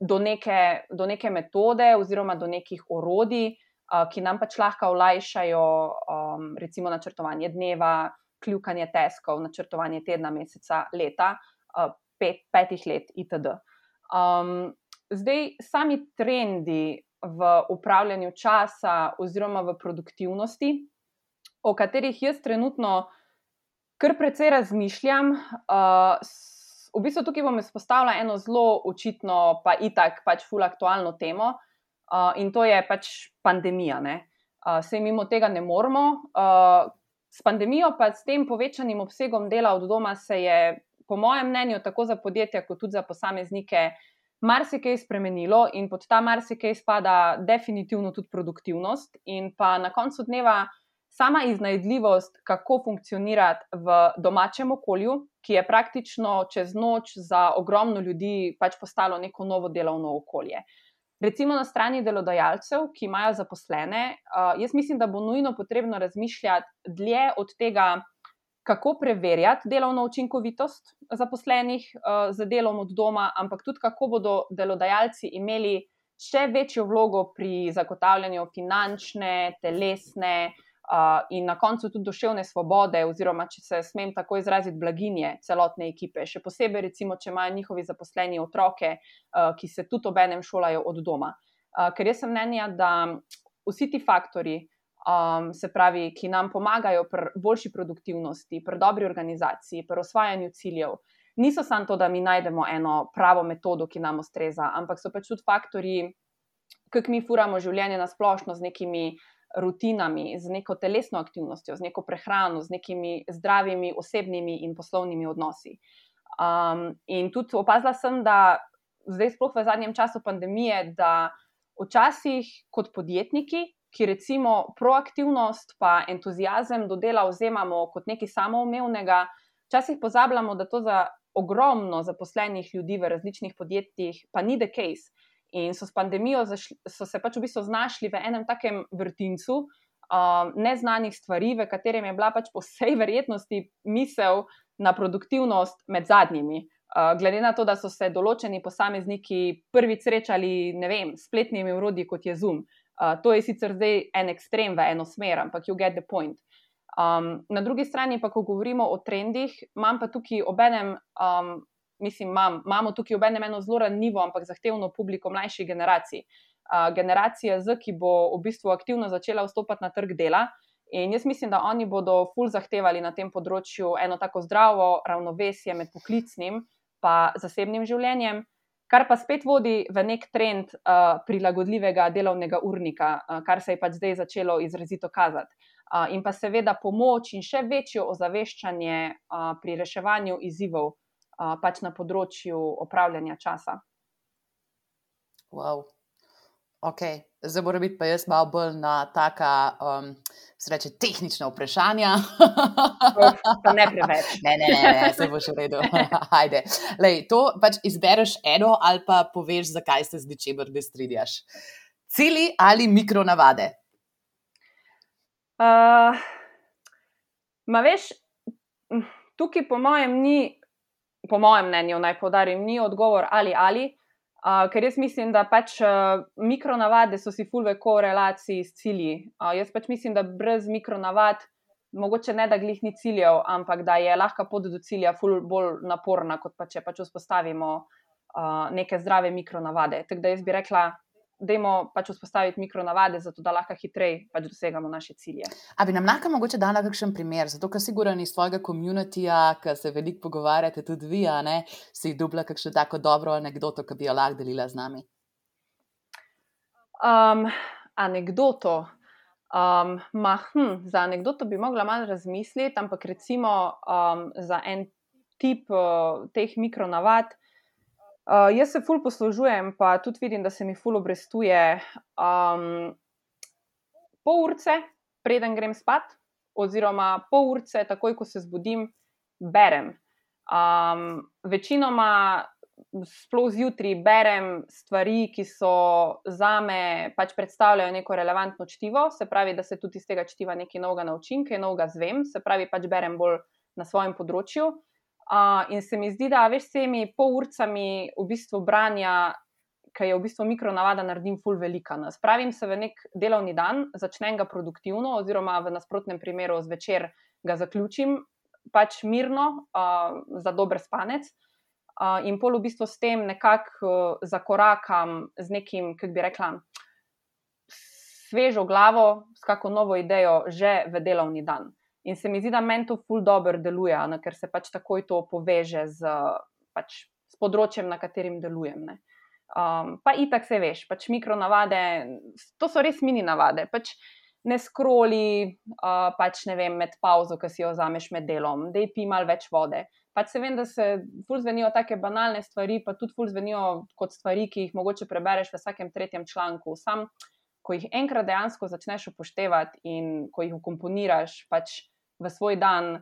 do, neke, do neke metode oziroma do nekih orodij, uh, ki nam pač lahko olajšajo um, recimo načrtovanje dneva, kljukanje taskov, načrtovanje tedna, meseca, leta, uh, pet, petih let itd. Um, zdaj, sami trendi v upravljanju časa oziroma v produktivnosti, o katerih jaz trenutno kar precej razmišljam. Uh, v bistvu tukaj bom izpostavila eno zelo očitno, pa itak pač ful aktualno temo uh, in to je pač pandemija. Ne? Uh, sej mimo tega ne moremo. Uh, s pandemijo pa s tem povečanim obsegom dela od doma se je, po mojem mnenju, tako za podjetja kot tudi za posameznike marsikaj spremenilo in pod ta marsikaj spada definitivno tudi produktivnost in pa na koncu dneva sama iznajdljivost, kako funkcionirati v domačem okolju, ki je praktično čez noč za ogromno ljudi pač postalo neko novo delovno okolje. Recimo na strani delodajalcev, ki imajo zaposlene, jaz mislim, da bo nujno potrebno razmišljati dlje od tega, kako preverjati delovno učinkovitost zaposlenih z delom od doma, ampak tudi kako bodo delodajalci imeli še večjo vlogo pri zagotavljanju finančne, telesne in na koncu tudi duševne svobode, oziroma, če se smem tako izraziti, blaginje celotne ekipe. Še posebej, recimo, če imajo njihovi zaposleni otroke, ki se tudi obenem šolajo od doma. Ker jaz sem mnenja, da vsi ti faktori, se pravi, ki nam pomagajo pri boljši produktivnosti, pri dobri organizaciji, pri osvajanju ciljev, niso samo to, da mi najdemo eno pravo metodo, ki nam ustreza, ampak so pač tudi faktori, kako mi furamo življenje na splošno z nekimi rutinami, z neko telesno aktivnostjo, z neko prehrano, z nekimi zdravimi osebnimi in poslovnimi odnosi. Um, in tudi opazila sem, da zdaj sploh v zadnjem času pandemije, da včasih kot podjetniki, ki recimo proaktivnost pa entuziazem do dela vzemamo kot nekaj samoumevnega, včasih pozabljamo, da to za ogromno zaposlenih ljudi v različnih podjetjih pa ni the case. In so s pandemijo zašli, so se pač v bistvu znašli v enem takem vrtincu um, neznanih stvari, v katerem je bila pač po vsej verjetnosti misel na produktivnost med zadnjimi. Uh, glede na to, da so se določeni posamezniki prvič srečali, ne vem, spletnimi orodji, kot je Zoom. Uh, to je sicer zdaj en ekstrem v eno smer, ampak you get the point. Um, na drugi strani pa, ko govorimo o trendih, imam pa tukaj obenem um, Mislim, mam, imamo tukaj obenem eno zelo ranljivo, ampak zahtevno publiko mlajših generacij. Uh, generacija Z, ki bo v bistvu aktivno začela vstopati na trg dela, in jaz mislim, da oni bodo ful zahtevali na tem področju eno tako zdravo ravnovesje med poklicnim pa zasebnim življenjem, kar pa spet vodi v nek trend uh, prilagodljivega delovnega urnika, uh, kar se je pač zdaj začelo izrazito kazati. Uh, in pa seveda pomoč in še večjo ozaveščanje uh, pri reševanju izzivov, Uh, pač na področju opravljanja časa. Wow. Ok, zdaj mora biti pa jaz malo bolj na taka, um, se reče, tehnična vprašanja. Uf, pa ne preveč. Ne, ne, ne, ne, se bo še v redu. Ajde. Lej, to pač izbereš eno ali pa poveš, zakaj se z ničemer ne strinjaš. Cilji ali mikronavade? Uh, ma veš, tukaj po mojem ni po mojem mnenju, naj poudarim, ni odgovor ali ali, uh, ker jaz mislim, da pač uh, mikronavade so si ful v korelaciji s cilji. Uh, jaz pač mislim, da brez mikronavad, mogoče ne da glih ni ciljev, ampak da je lahka pot do cilja ful bolj naporna, kot pa če pač vzpostavimo uh, neke zdrave mikronavade. Tako da jaz bi rekla, dajmo pač vzpostaviti mikronavade, zato da lahko hitreje pač dosegamo naše cilje. A bi nam lahko mogoče dala kakšen primer, zato ker sigurno iz svojega communityja, ki se veliko pogovarjate tudi vi, a ne, si dobila kakšno tako dobro anekdoto, ki bi jo lahko delila z nami? Um, anekdoto? Um, ma, hm, za anekdoto bi mogla malo razmisliti, ampak recimo um, za en tip uh, teh mikronavad, Uh, jaz se ful poslužujem, pa tudi vidim, da se mi ful obrestuje um, pol urce, preden grem spat, oziroma pol urce, takoj, ko se zbudim, berem. Um, večinoma, sploh zjutraj, berem stvari, ki so zame pač predstavljajo neko relevantno čtivo, se pravi, da se tudi iz tega čtiva nekaj novega naučim, kaj novega zvem, se pravi, pač berem bolj na svojem področju. Uh, in se mi zdi, da veš, s temi pol urcami v bistvu branja, ki je v bistvu mikronavada, naredim ful velika. Spravim se v nek delovni dan, začnem ga produktivno, oziroma v nasprotnem primeru zvečer ga zaključim, pač mirno, uh, za dober spanec. Uh, in pol v bistvu s tem nekako uh, zakorakam z nekim, kako bi rekla, svežo glavo, s kako novo idejo že v delovni dan. In se mi zdi, da meni to ful dobro deluje, ne, ker se pač takoj to poveže z, pač, s področjem, na katerim delujem. Ne. Um, pa itak se veš, pač mikronavade, to so res mini navade, pač ne skroli, uh, pač ne vem, med pauzo, ki si jo vzameš med delom, dej pi malo več vode. Pač se vem, da se ful zvenijo take banalne stvari, pa tudi ful zvenijo kot stvari, ki jih mogoče prebereš v vsakem tretjem članku. Sam, ko jih enkrat dejansko začneš upoštevati in ko jih ukomponiraš pač v svoj dan,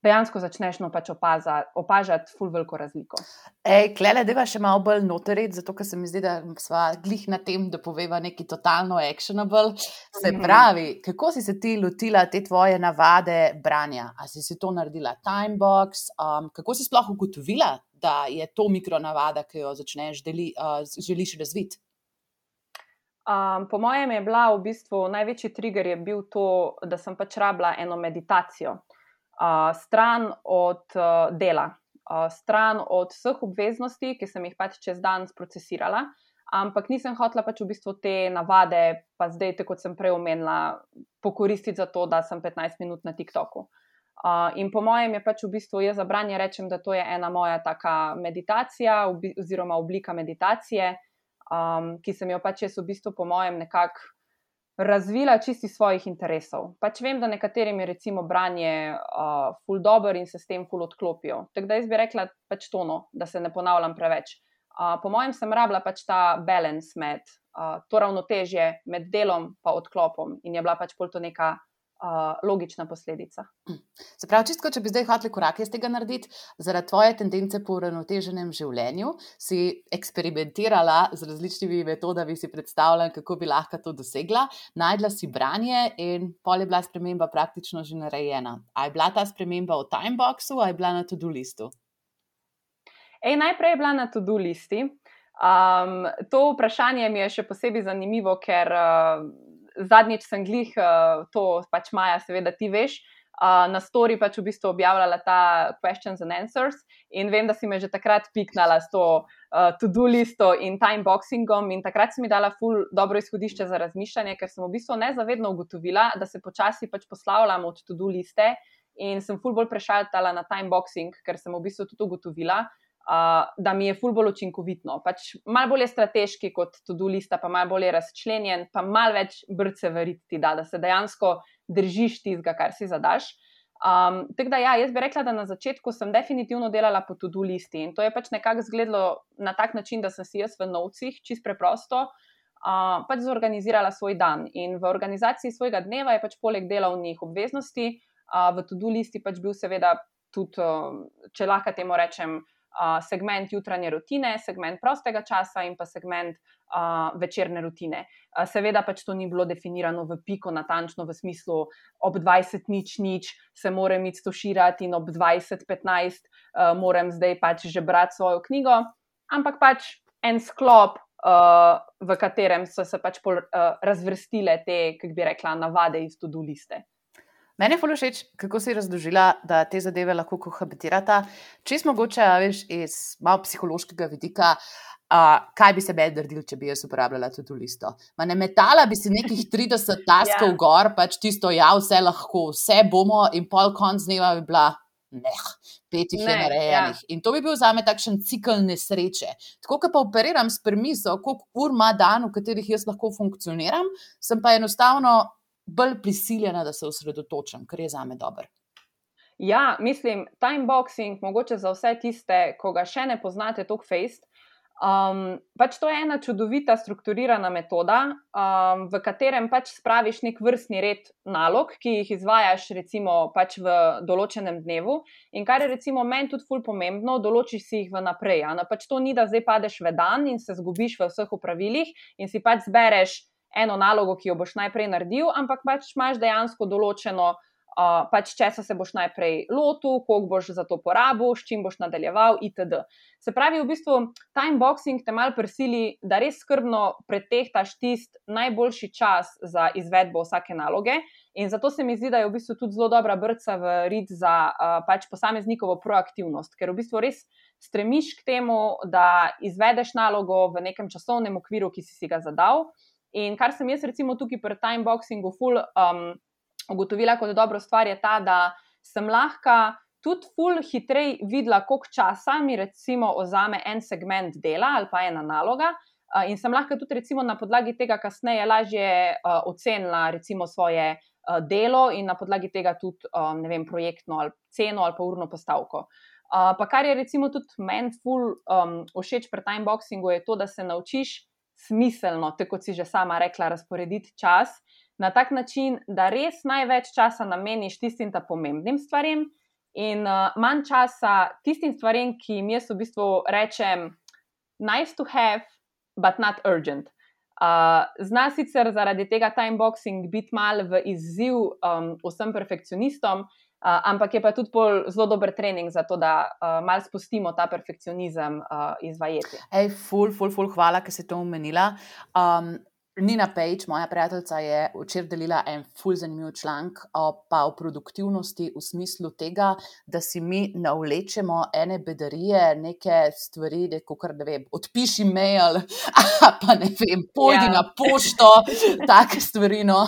dejansko začneš no pač opazati, opažati ful veliko razliko. Ej, klele, deva še malo bolj noterit, zato ker se mi zdi, da sva glih na tem, da poveva nekaj totalno actionable. Se pravi, kako si se ti lotila te tvoje navade branja? A si si to naredila timebox? Um, kako si sploh ugotovila, da je to mikronavada, ki jo začneš deli, uh, želiš razviti? Um, po mojem je bila v bistvu največji trigger je bil to, da sem pač rabila eno meditacijo. Uh, stran od uh, dela, uh, stran od vseh obveznosti, ki sem jih pač čez dan sprocesirala, ampak nisem hotela pač v bistvu te navade, pa zdaj, tako kot sem prej omenila, pokoristiti za to, da sem petnajst minut na TikToku. Uh, in po mojem je pač v bistvu, jaz za branje rečem, da to je ena moja taka meditacija obi, oziroma oblika meditacije, um, ki sem jo pač jaz v bistvu po mojem nekako razvila čisti svojih interesov. Pač vem, da nekaterim je recimo branje uh, ful dober in se s tem ful odklopijo. Tako da jaz bi rekla pač tono, da se ne ponavljam preveč. Uh, po mojem sem rabila pač ta balance med, uh, to ravnotežje med delom pa odklopom in je bila pač pol to neka Uh, logična posledica. Se pravi, čisto, če bi zdaj hoteli korake iz tega narediti, zaradi tvoje tendence po uravnoteženem življenju, si eksperimentirala z različnimi metodami, si predstavljala, kako bi lahko to dosegla, najdla si branje in pol je bila sprememba praktično že narejena. A je bila ta sprememba v timeboxu, a je bila na to-do listu? Ej, najprej je bila na to-do listi. Um, to vprašanje mi je še posebej zanimivo, ker uh, zadnjič sem glih, uh, to pač Maja, seveda ti veš, uh, na story pač v bistvu objavljala ta questions and answers in vem, da si me že takrat piknala s to uh, to-do listo in timeboxingom in takrat si mi dala ful dobro izhodišče za razmišljanje, ker sem v bistvu nezavedno ugotovila, da se počasi pač poslavljam od to-do liste in sem ful bolj prešaltala na timeboxing, ker sem v bistvu tudi ugotovila, Uh, da mi je ful bolj učinkovitno. Pač malo bolj je strateški kot to-do lista, pa malo bolj je razčlenjen, pa malo več brce veriti ti da, da se dejansko držiš tistega, kar si zadaš. Um, tako da ja, jaz bi rekla, da na začetku sem definitivno delala po to-do listi in to je pač nekako izgledalo na tak način, da sem si jaz v novcih, čisto preprosto, uh, pač zorganizirala svoj dan in v organizaciji svojega dneva je pač poleg delovnih obveznosti, uh, v to-do listi pač bil seveda tudi, uh, če lahko temu rečem, Uh, segment jutranje rutine, segment prostega časa in pa segment uh, večerne rutine. Uh, seveda pač to ni bilo definirano v piko natančno v smislu ob dvajset nič nič se moram iti stoširati in ob dvajset petnajst uh, moram zdaj pač že brati svojo knjigo, ampak pač en sklop, uh, v katerem so se pač pol, uh, razvrstile te, kako bi rekla, navade iz to-do liste. Meni je ful všeč, kako si razložila, da te zadeve lahko kohabitirata. Čisto mogoče, veš, iz malo psihološkega vidika, uh, kaj bi se meni naredil, če bi jaz uporabljala to-do listo. Ma ne metala bi si nekih trideset taskov yeah. gor, pač tisto, ja, vse lahko, vse bomo in pol konc dneva bi bila, ne, pet jih je narejenih. Ja. In to bi bil zame takšen cikl nesreče. Tako, ko pa operiram s premiso, koliko ur ima dan, v katerih jaz lahko funkcioniram, sem pa enostavno bolj prisiljena, da se osredotočam, kar je zame dober. Ja, mislim, timeboxing, mogoče za vse tiste, ko ga še ne poznate toliko fejst, um, pač to je ena čudovita strukturirana metoda, um, v katerem pač spraviš nek vrstni red nalog, ki jih izvajaš recimo pač v določenem dnevu in kar je recimo meni tudi ful pomembno, določiš si jih vnaprej. A? Pač to ni, da zdaj padeš v dan in se zgubiš v vseh opravilih in si pač zbereš eno nalogo, ki jo boš najprej naredil, ampak pač imaš dejansko določeno, uh, pač česa se boš najprej lotil, koliko boš za to porabil, s čim boš nadaljeval itd. Se pravi, v bistvu timeboxing te malo prisili, da res skrbno pretehtaš tisti najboljši čas za izvedbo vsake naloge in zato se mi zdi, da je v bistvu tudi zelo dobra brca v rit za uh, pač posameznikovo proaktivnost, ker v bistvu res stremiš k temu, da izvedeš nalogo v nekem časovnem okviru, ki si si ga zadal. In kar sem jaz recimo tukaj pri timeboxingu ful um, ugotovila kot dobro stvar je ta, da sem lahko tudi ful hitrej videla, koliko časa mi recimo vzame en segment dela ali pa ena naloga uh, in sem lahko tudi recimo na podlagi tega kasneje lažje uh, ocenila recimo svoje uh, delo in na podlagi tega tudi um, ne vem, projektno ali ceno ali pa urno postavko. Uh, pa kar je recimo tudi meni ful um, všeč pri timeboxingu je to, da se naučiš smiselno, tako kot si že sama rekla, razporediti čas na tak način, da res največ časa nameniš tistim ta pomembnim stvarem in uh, manj časa tistim stvarem, ki jim jaz v bistvu rečem nice to have, but not urgent. Uh, zna sicer zaradi tega timeboxing biti mal v izziv um, vsem perfekcionistom, uh, ampak je pa tudi pol zelo dober trening za to, da uh, mal spustimo ta perfekcionizem uh, iz vajeti. Ej, ful, ful, ful, hvala, ker si to omenila. Um, Nina Page, moja prijateljica, je včeraj delila en ful zanimiv članek pa o produktivnosti v smislu tega, da si mi navlečemo ene bedarije, neke stvari, da kakor, ne vem, odpiši mail, pa ne vem, pojdi ja. na pošto, take stvari, no,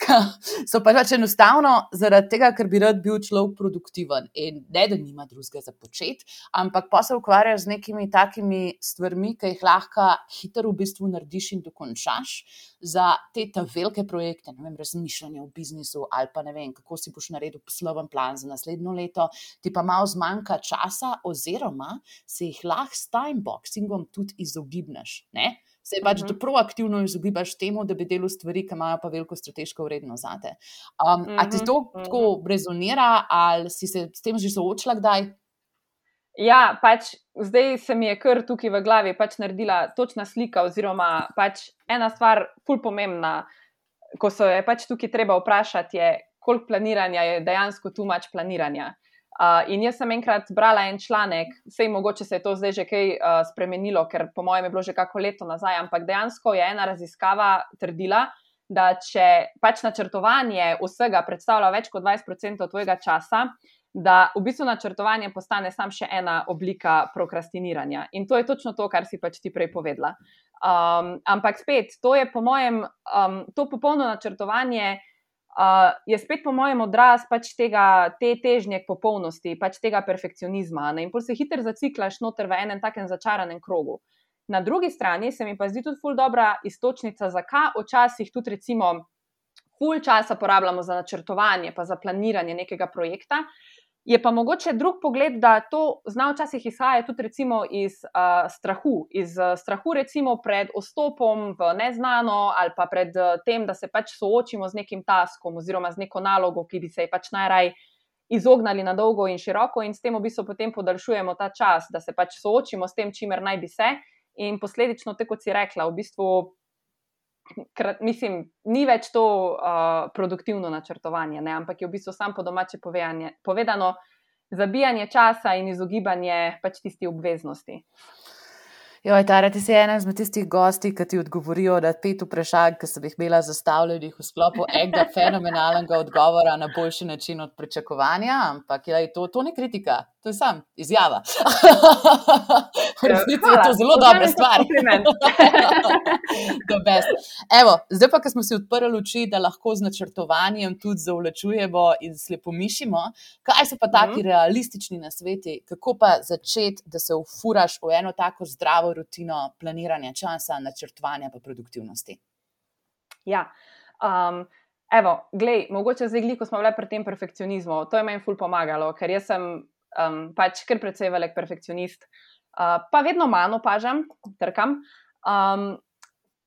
ki so pa pač enostavno zaradi tega, ker bi rad bil človek produktiven in ne, da nima drugega za početi, ampak pa se ukvarjajo z nekimi takimi stvarmi, ki jih lahko hitro v bistvu narediš in dokončaš. Za te ta velike projekte, ne vem, razmišljanje o biznisu ali pa ne vem, kako si boš naredil posloven plan za naslednjo leto, ti pa malo zmanjka časa oziroma se jih lahko s timeboxingom tudi izogibneš, ne? Se pač uh-huh. proaktivno izogibaš temu, da bi delal stvari, ki imajo pa veliko strateško vrednost zate. Um, uh-huh. A ti to uh-huh. tako rezonira ali si se s tem že soočila kdaj? Ja, pač zdaj se mi je kar tukaj v glavi pač naredila točna slika oziroma pač ena stvar ful pomembna, ko se je pač tukaj treba vprašati, je, koliko planiranja je dejansko too much planiranja. Uh, in jaz sem enkrat brala en članek, sej mogoče se je to zdaj že kaj uh, spremenilo, ker po mojem je bilo že kako leto nazaj, ampak dejansko je ena raziskava trdila, da če pač načrtovanje vsega predstavlja več kot dvajset procentov tvojega časa, da v bistvu načrtovanje postane sam še ena oblika prokrastiniranja. In to je točno to, kar si pač ti prej povedala. Um, ampak spet, to je po mojem, um, to popolno načrtovanje uh, je spet po mojem odraz pač tega, te težnje k popolnosti, pač tega perfekcionizma. Ne? In pol se hitro zaciklaš noter v enem takem začaranem krogu. Na drugi strani se mi pa zdi tudi ful dobra iztočnica, zakaj včasih tudi recimo ful časa porabljamo za načrtovanje pa za planiranje nekega projekta. Je pa mogoče drug pogled, da to zna včasih izhaja tudi recimo iz uh, strahu, iz uh, strahu recimo pred vstopom v neznano ali pa pred uh, tem, da se pač soočimo z nekim taskom oziroma z neko nalogo, ki bi se ji pač najraj izognali na dolgo in široko in s tem v bistvu potem podaljšujemo ta čas, da se pač soočimo s tem, čimer naj bi se in posledično, tako kot si rekla, v bistvu Krat, mislim, ni več to uh, produktivno načrtovanje, ne? Ampak je v bistvu sam po domače povedano zabijanje časa in izogibanje pač tisti obveznosti. Joj, Tara, ti si ena izmed tistih gosti, ki ti odgovorijo na pet vprašanj, ki sem jih imela zastavljenih v sklopu enega fenomenalnega odgovora na boljši način od pričakovanja, ampak je to, to ni kritika, to je sam izjava. V resnici je to zelo dobra stvar. Evo, zdaj pa, ko smo si odprli oči, da lahko z načrtovanjem tudi zavlačujemo in slepomišimo, kaj so pa taki mm. realistični nasveti, kako pa začeti, da se ufuraš v eno tako zdravo rutino planiranja časa, načrtovanja pa produktivnosti? Ja, um, evo, glej, mogoče zdaj gliko smo bile pri tem perfekcionizmu, to je meni ful pomagalo, ker jaz sem um, pač kar precej velik perfekcionist, uh, pa vedno manj opažam, trkam. Um,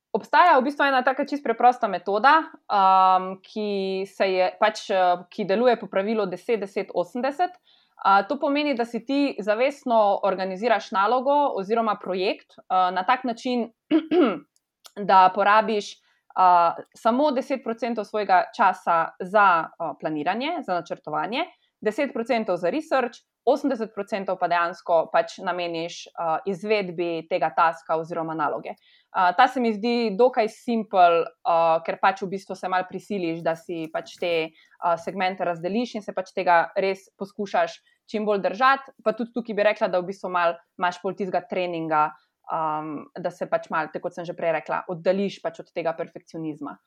obstaja v bistvu ena taka čisto preprosta metoda, um, ki se je pač, ki deluje po pravilu deset deset osemdeset. Uh, to pomeni, da si ti zavestno organiziraš nalogo oziroma projekt uh, na tak način, da porabiš uh, samo deset procentov svojega časa za uh, planiranje, za načrtovanje, deset procentov za research, osemdeset procentov pa dejansko pač nameniš uh, izvedbi tega taska oziroma naloge. Uh, ta se mi zdi dokaj simpel, uh, ker pač v bistvu se malo prisiliš, da si pač te uh, segmente razdeliš in se pač tega res poskušaš čim bolj držati, pa tudi tukaj bi rekla, da v bistvu malo imaš pol tistega treninga, um, da se pač malo, tako kot sem že prej rekla, oddališ pač od tega perfekcionizma.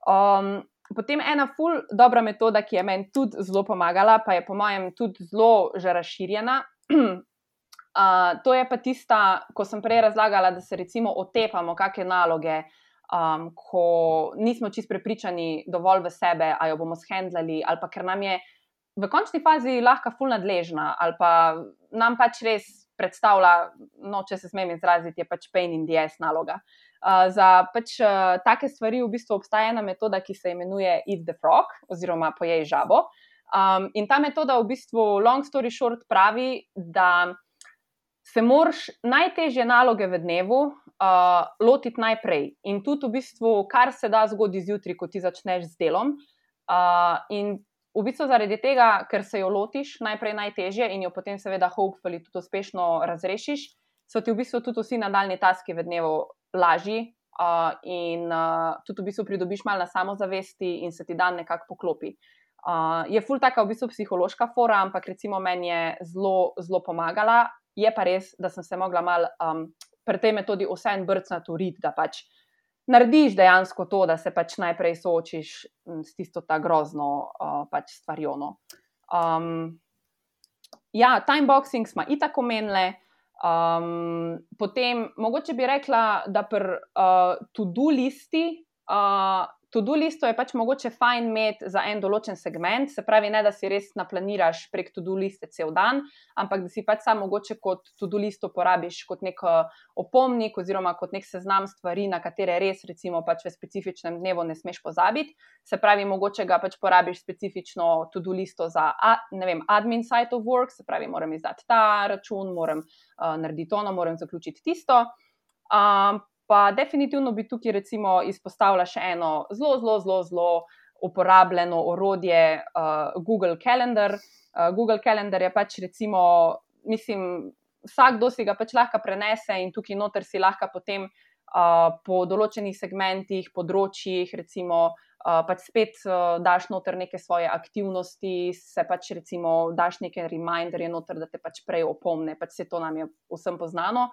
Um, potem ena ful dobra metoda, ki je meni tudi zelo pomagala, pa je po mojem tudi zelo že razširjena, uh, to je pa tista, ko sem prej razlagala, da se recimo otepamo kakšne naloge, um, ko nismo čisto prepričani dovolj v sebe, a jo bomo shendlali, ali pa ker nam je v končni fazi lahko ful nadležna, ali pa nam pač res predstavlja, no, če se smem izraziti, je pač pain in the ass naloga. Uh, za pač uh, take stvari v bistvu obstaja ena metoda, ki se imenuje Eat the Frog, oziroma pojej žabo. Um, in ta metoda v bistvu, long story short, pravi, da se moraš najtežje naloge v dnevu uh, lotiti najprej. In tudi v bistvu, kar se da zgodi zjutraj, ko ti začneš z delom. Uh, in v bistvu zaradi tega, ker se jo lotiš najprej najtežje in jo potem seveda hopefully tudi uspešno razrešiš, so ti v bistvu tudi vsi nadaljni taski v dnevu lažji uh, in uh, tudi v bistvu pridobiš malo na samozavesti in se ti dan nekako poklopi. Uh, je ful taka v bistvu psihološka fora, ampak recimo meni je zelo, zelo pomagala. Je pa res, da sem se mogla malo um, pri tej metodi vseeno brcnati v rit, da pač narediš dejansko to, da se pač najprej soočiš s tisto ta grozno uh, pač stvarjo. Um, ja, timeboxing smo itak omenili. Um, potem, mogoče bi rekla, da pri uh, to-do listi, uh, to-do listo je pač mogoče fajn imeti za en določen segment, se pravi, ne da si res naplaniraš prek to-do liste cel dan, ampak da si pač sam mogoče kot to-do listo porabiš kot nek opomnik oziroma kot nek seznam stvari, na katere res recimo pač v specifičnem dnevu ne smeš pozabiti. Se pravi, mogoče ga pač porabiš specifično to-do listo za, ne vem, admin site of work, se pravi, moram izdati ta račun, moram uh, narediti ono, moram zaključiti tisto. Um, Pa definitivno bi tukaj recimo izpostavila še eno zelo, zelo, zelo, zelo uporabljeno orodje, uh, Google Calendar. Uh, Google Calendar je pač recimo, mislim, vsakdo si ga pač lahko prenese in tukaj noter si lahko potem uh, po določenih segmentih, področjih, recimo uh, pač spet uh, daš noter neke svoje aktivnosti, se pač recimo daš neke reminderje noter, da te pač prej opomne, pač se to nam je vsem poznano.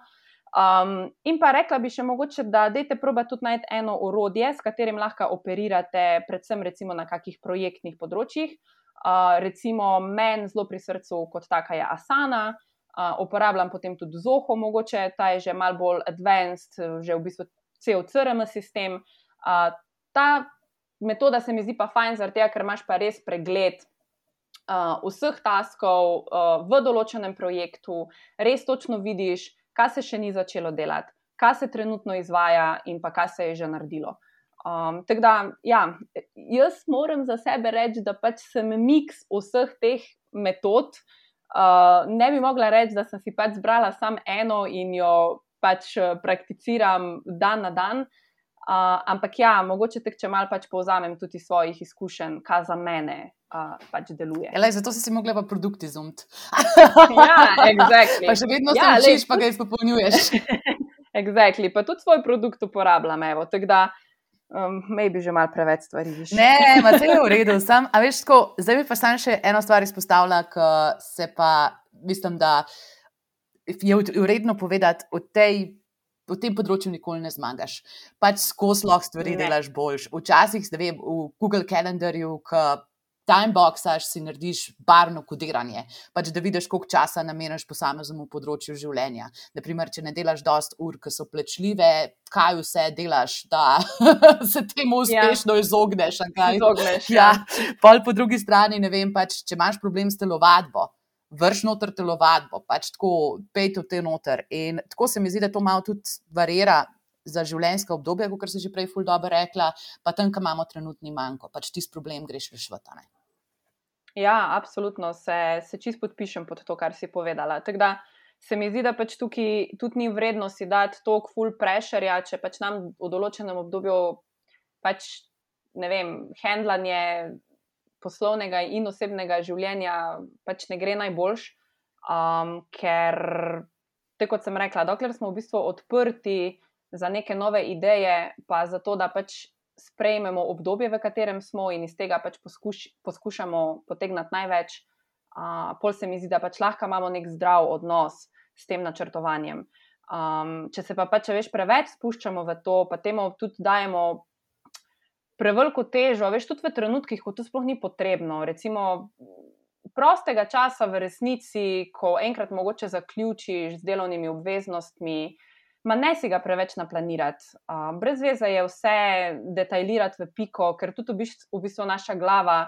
Um, in pa rekla bi še mogoče, da dajte proba tudi najti eno orodje, s katerim lahko operirate predvsem recimo na kakih projektnih področjih. Uh, recimo meni zelo pri srcu kot taka je Asana, uh, uporabljam potem tudi Zoho mogoče, ta je že malo bolj advanced, že v bistvu cel C R M sistem. Uh, ta metoda se mi zdi pa fajn zaradi tega, ker imaš pa res pregled uh, vseh taskov uh, v določenem projektu, res točno vidiš, kaj se še ni začelo delati, kaj se trenutno izvaja in pa kaj se je že naredilo. Um, tako da, ja, jaz moram za sebe reči, da pač sem miks vseh teh metod. Uh, ne bi mogla reči, da sem si pač zbrala samo eno in jo pač prakticiram dan na dan. Uh, ampak ja, mogoče tek, če malo pač povzamem tudi svojih izkušenj, kaj za mene uh, pač deluje. Elej, zato si si mogla pa produkt izumiti. Ja, exactly. Pa še vedno ja, se učiš, pa ga izpopolnjuješ. Exactly, pa tudi svoj produkt uporabljam, evo, tako da um, maybe že malo preveč stvari viš. Ne, ma se je v redu, sam, a veš tako, zdaj bi pa sam še eno stvar izpostavila, ki se pa, mislim, da je vredno povedati o tej v tem področju nikoli ne zmagaš. Pač skozi lahko stvari ne. Delaš boljš. Včasih, ne vem, v Google Calendarju, ko timeboxaš, si narediš barvno kodiranje, pač da vidiš, koliko časa nameniš posameznemu področju življenja. Naprimer, če ne delaš dosti ur, ki so plačljive, kaj vse delaš, da se temu uspešno ja. izogneš. Izogneš, ja. ja. Pol po drugi strani, ne vem, pač, če imaš problem s telovadbo, vrš noter telovadbo, pač tako pejte v te noter. In tako se mi zdi, da to malo tudi varira za življenjska obdobja, kot si že prej ful dobro rekla, pa tam, ko imamo trenutni manko, pač tisti problem greš rešiti. Ja, absolutno, se, se čist podpišem pod to, kar si povedala. Tako da se mi zdi, da pač tukaj tudi ni vredno si dati toliko ful pressure, če pač nam v določenem obdobju pač, ne vem, handlanje poslovnega in osebnega življenja pač ne gre najboljš, um, ker, tako kot sem rekla, dokler smo v bistvu odprti za neke nove ideje, pa za to, da pač sprejmemo obdobje, v katerem smo in iz tega pač poskuš, poskušamo potegnati največ, uh, pol se mi zdi, da pač lahko imamo nek zdrav odnos s tem načrtovanjem. Um, če se pa pač, veš, preveč spuščamo v to, pa temu tudi dajemo preveliko težo, veš, tudi v trenutkih, ko to sploh ni potrebno. Recimo, prostega časa v resnici, ko enkrat mogoče zaključiš z delovnimi obveznostmi, ma ne si ga preveč naplanirati. Uh, brez veze je vse detajlirati v piko, ker tudi v bistvu, v bistvu naša glava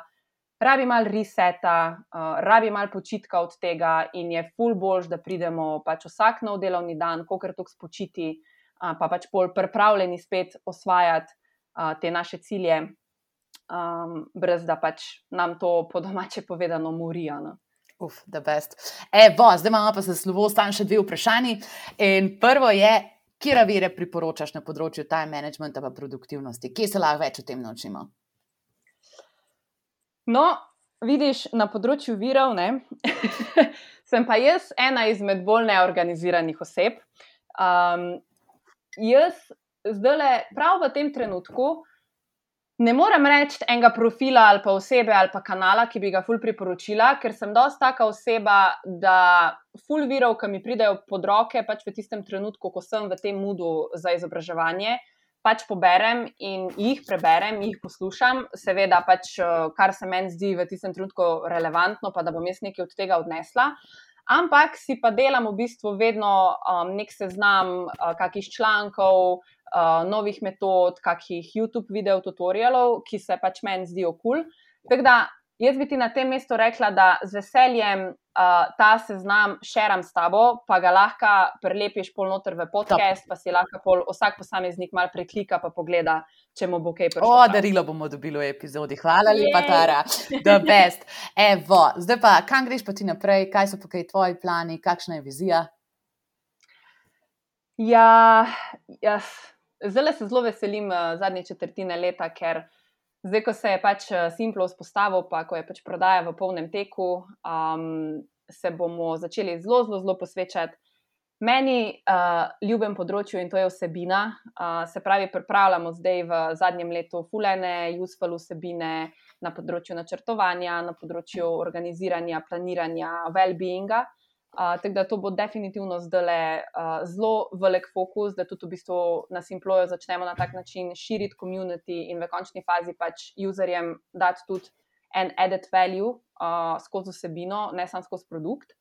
rabi malo reseta, uh, rabi malo počitka od tega in je ful boljš, da pridemo pač vsak nov delovni dan, kolikor toliko spočiti uh, pa pač bolj pripravljeni spet osvajati uh, te naše cilje, um, brez da pač nam to po domače povedano morija. No? Uf, the best. Evo, zdaj imamo pa se slovo, stan še dve vprašanji. In prvo je, kje vire priporočaš na področju time managementa pa produktivnosti? Kje se lahko več o tem naučimo? No, vidiš, na področju virov, ne, sem pa jaz ena izmed bolj neorganiziranih oseb. Um, jaz zdajle, prav v tem trenutku, ne morem reči enega profila ali pa osebe ali pa kanala, ki bi ga ful priporočila, ker sem dosti taka oseba, da ful virov, ki mi pridejo pod roke, pač v tistem trenutku, ko sem v tem moodu za izobraževanje, pač poberem in jih preberem, jih poslušam, seveda pač, kar se meni zdi v tistem trenutku relevantno, pa da bom jaz nekaj od tega odnesla. Ampak si pa delam v bistvu vedno um, nek seznam uh, kakih člankov, uh, novih metod, kakih YouTube video tutorialov, ki se pač meni zdijo kul. Tako da jaz bi ti na tem mestu rekla, da z veseljem uh, ta seznam šeram s tabo, pa ga lahko prelepiš pol noter v podcast, pa si lahko pol vsak posameznik mal preklika pa pogleda, če mu bo kaj prišlo. O, darilo bomo dobili v epizodi. Hvala lepa, Tara. The best. Evo, zdaj pa, kam greš pa ti naprej? Kaj so pa kaj tvoji plani? Kakšna je vizija? Ja, jaz zdaj se zelo veselim uh, zadnje četrtine leta, ker zdaj, ko se je pač Simplo vzpostavil, pa ko je pač prodaja v polnem teku, um, se bomo začeli zelo, zelo, zelo posvečati meni uh, ljubem področju in to je vsebina. Uh, se pravi, pripravljamo zdaj v zadnjem letu fulene, useful vsebine na področju načrtovanja, na področju organiziranja, planiranja, well-beinga. Uh, tako da to bo definitivno zdajle uh, zelo velik fokus, da tudi v bistvu na Simploju začnemo na tak način širiti community in v končni fazi pač userjem dati tudi en added value uh, skozi vsebino, ne samo skozi produkt.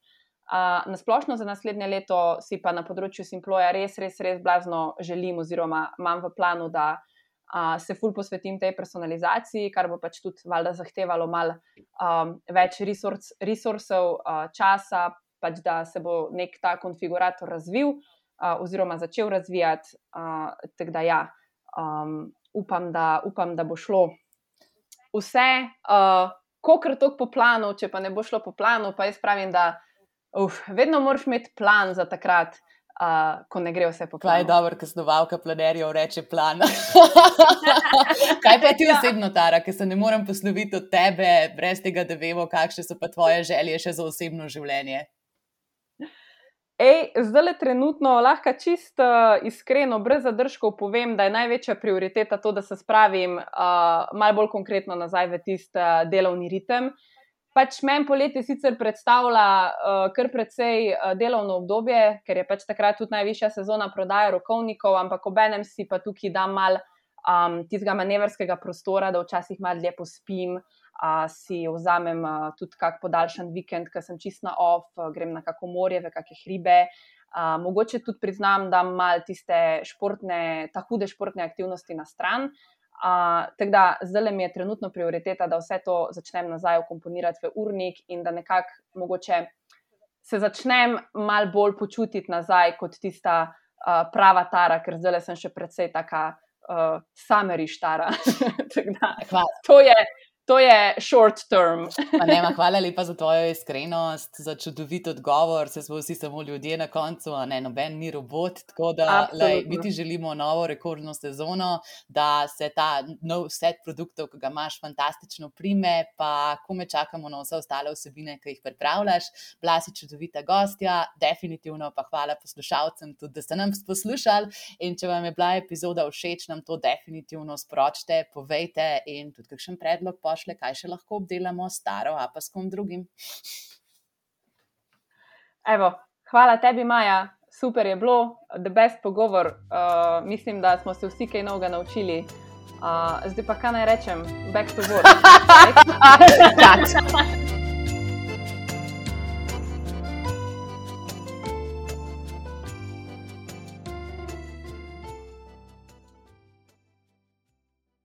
Uh, nasplošno za naslednje leto si pa na področju Simploja res, res, res blazno želim oziroma imam v planu, da uh, se ful posvetim tej personalizaciji, kar bo pač tudi valjda zahtevalo malo um, več resource, resursov, uh, časa, pač da se bo nek ta konfigurator razvil uh, oziroma začel razvijati, uh, tako da ja, um, upam, da, upam, da bo šlo vse, uh, kokr tok po planu, če pa ne bo šlo po planu, pa jaz pravim, da uf, vedno moraš imeti plan za takrat, uh, ko ne gre vse po planu. Kaj je dobro, ko snovalka planerjev reče plan. Kaj pa ti osebno, Tara, ker se ne morem posloviti od tebe, brez tega, da vemo, kakšne so pa tvoje želje še za osebno življenje? Ej, zdajle trenutno lahko čisto uh, iskreno, brez zadržkov povem, da je največja prioriteta to, da se spravim uh, malo bolj konkretno nazaj v tist uh, delovni ritem. Pač meni poletje sicer predstavlja uh, kar precej uh, delovno obdobje, ker je pač takrat tudi najvišja sezona prodaje rokovnikov, ampak obenem si pa tukaj dam malo um, tistega manevrskega prostora, da včasih malo dlje pospim, uh, si vzamem uh, tudi kak podaljšan vikend, ker sem čist na off, uh, grem na kako morje, v kakšne hribe. Uh, mogoče tudi priznam, da malo tiste športne, ta hude športne aktivnosti na stran. Uh, tako da zdaj mi je trenutno prioriteta, da vse to začnem nazaj vkomponirati v urnik in da nekako mogoče se začnem malo bolj počutiti nazaj kot tista uh, prava Tara, ker zdaj sem še precej taka uh, summerish Tara. Tako da to je, to je short term. Pa nema, hvala lepa za tvojo iskrenost, za čudovit odgovor, se smo vsi samo ljudje na koncu, a ne, noben ni robot, tako da lej, mi ti želimo novo rekordno sezono, da se ta nov set produktov, ki ga imaš, fantastično prime, pa kome čakamo na vse ostale vsebine, ki jih pripravljaš. Bila si čudovita gostja, definitivno pa hvala poslušalcem tudi, da ste nam poslušali in če vam je bila epizoda všeč, nam to definitivno sporočite, povejte in tudi kakšen predlog pošle, kaj še lahko obdelamo s Taro, a pa s kom drugim. Evo, hvala tebi, Maja, super je bilo, the best pogovor, uh, mislim, da smo se vsi kaj novega naučili. Uh, zdaj pa kaj naj rečem, back to work.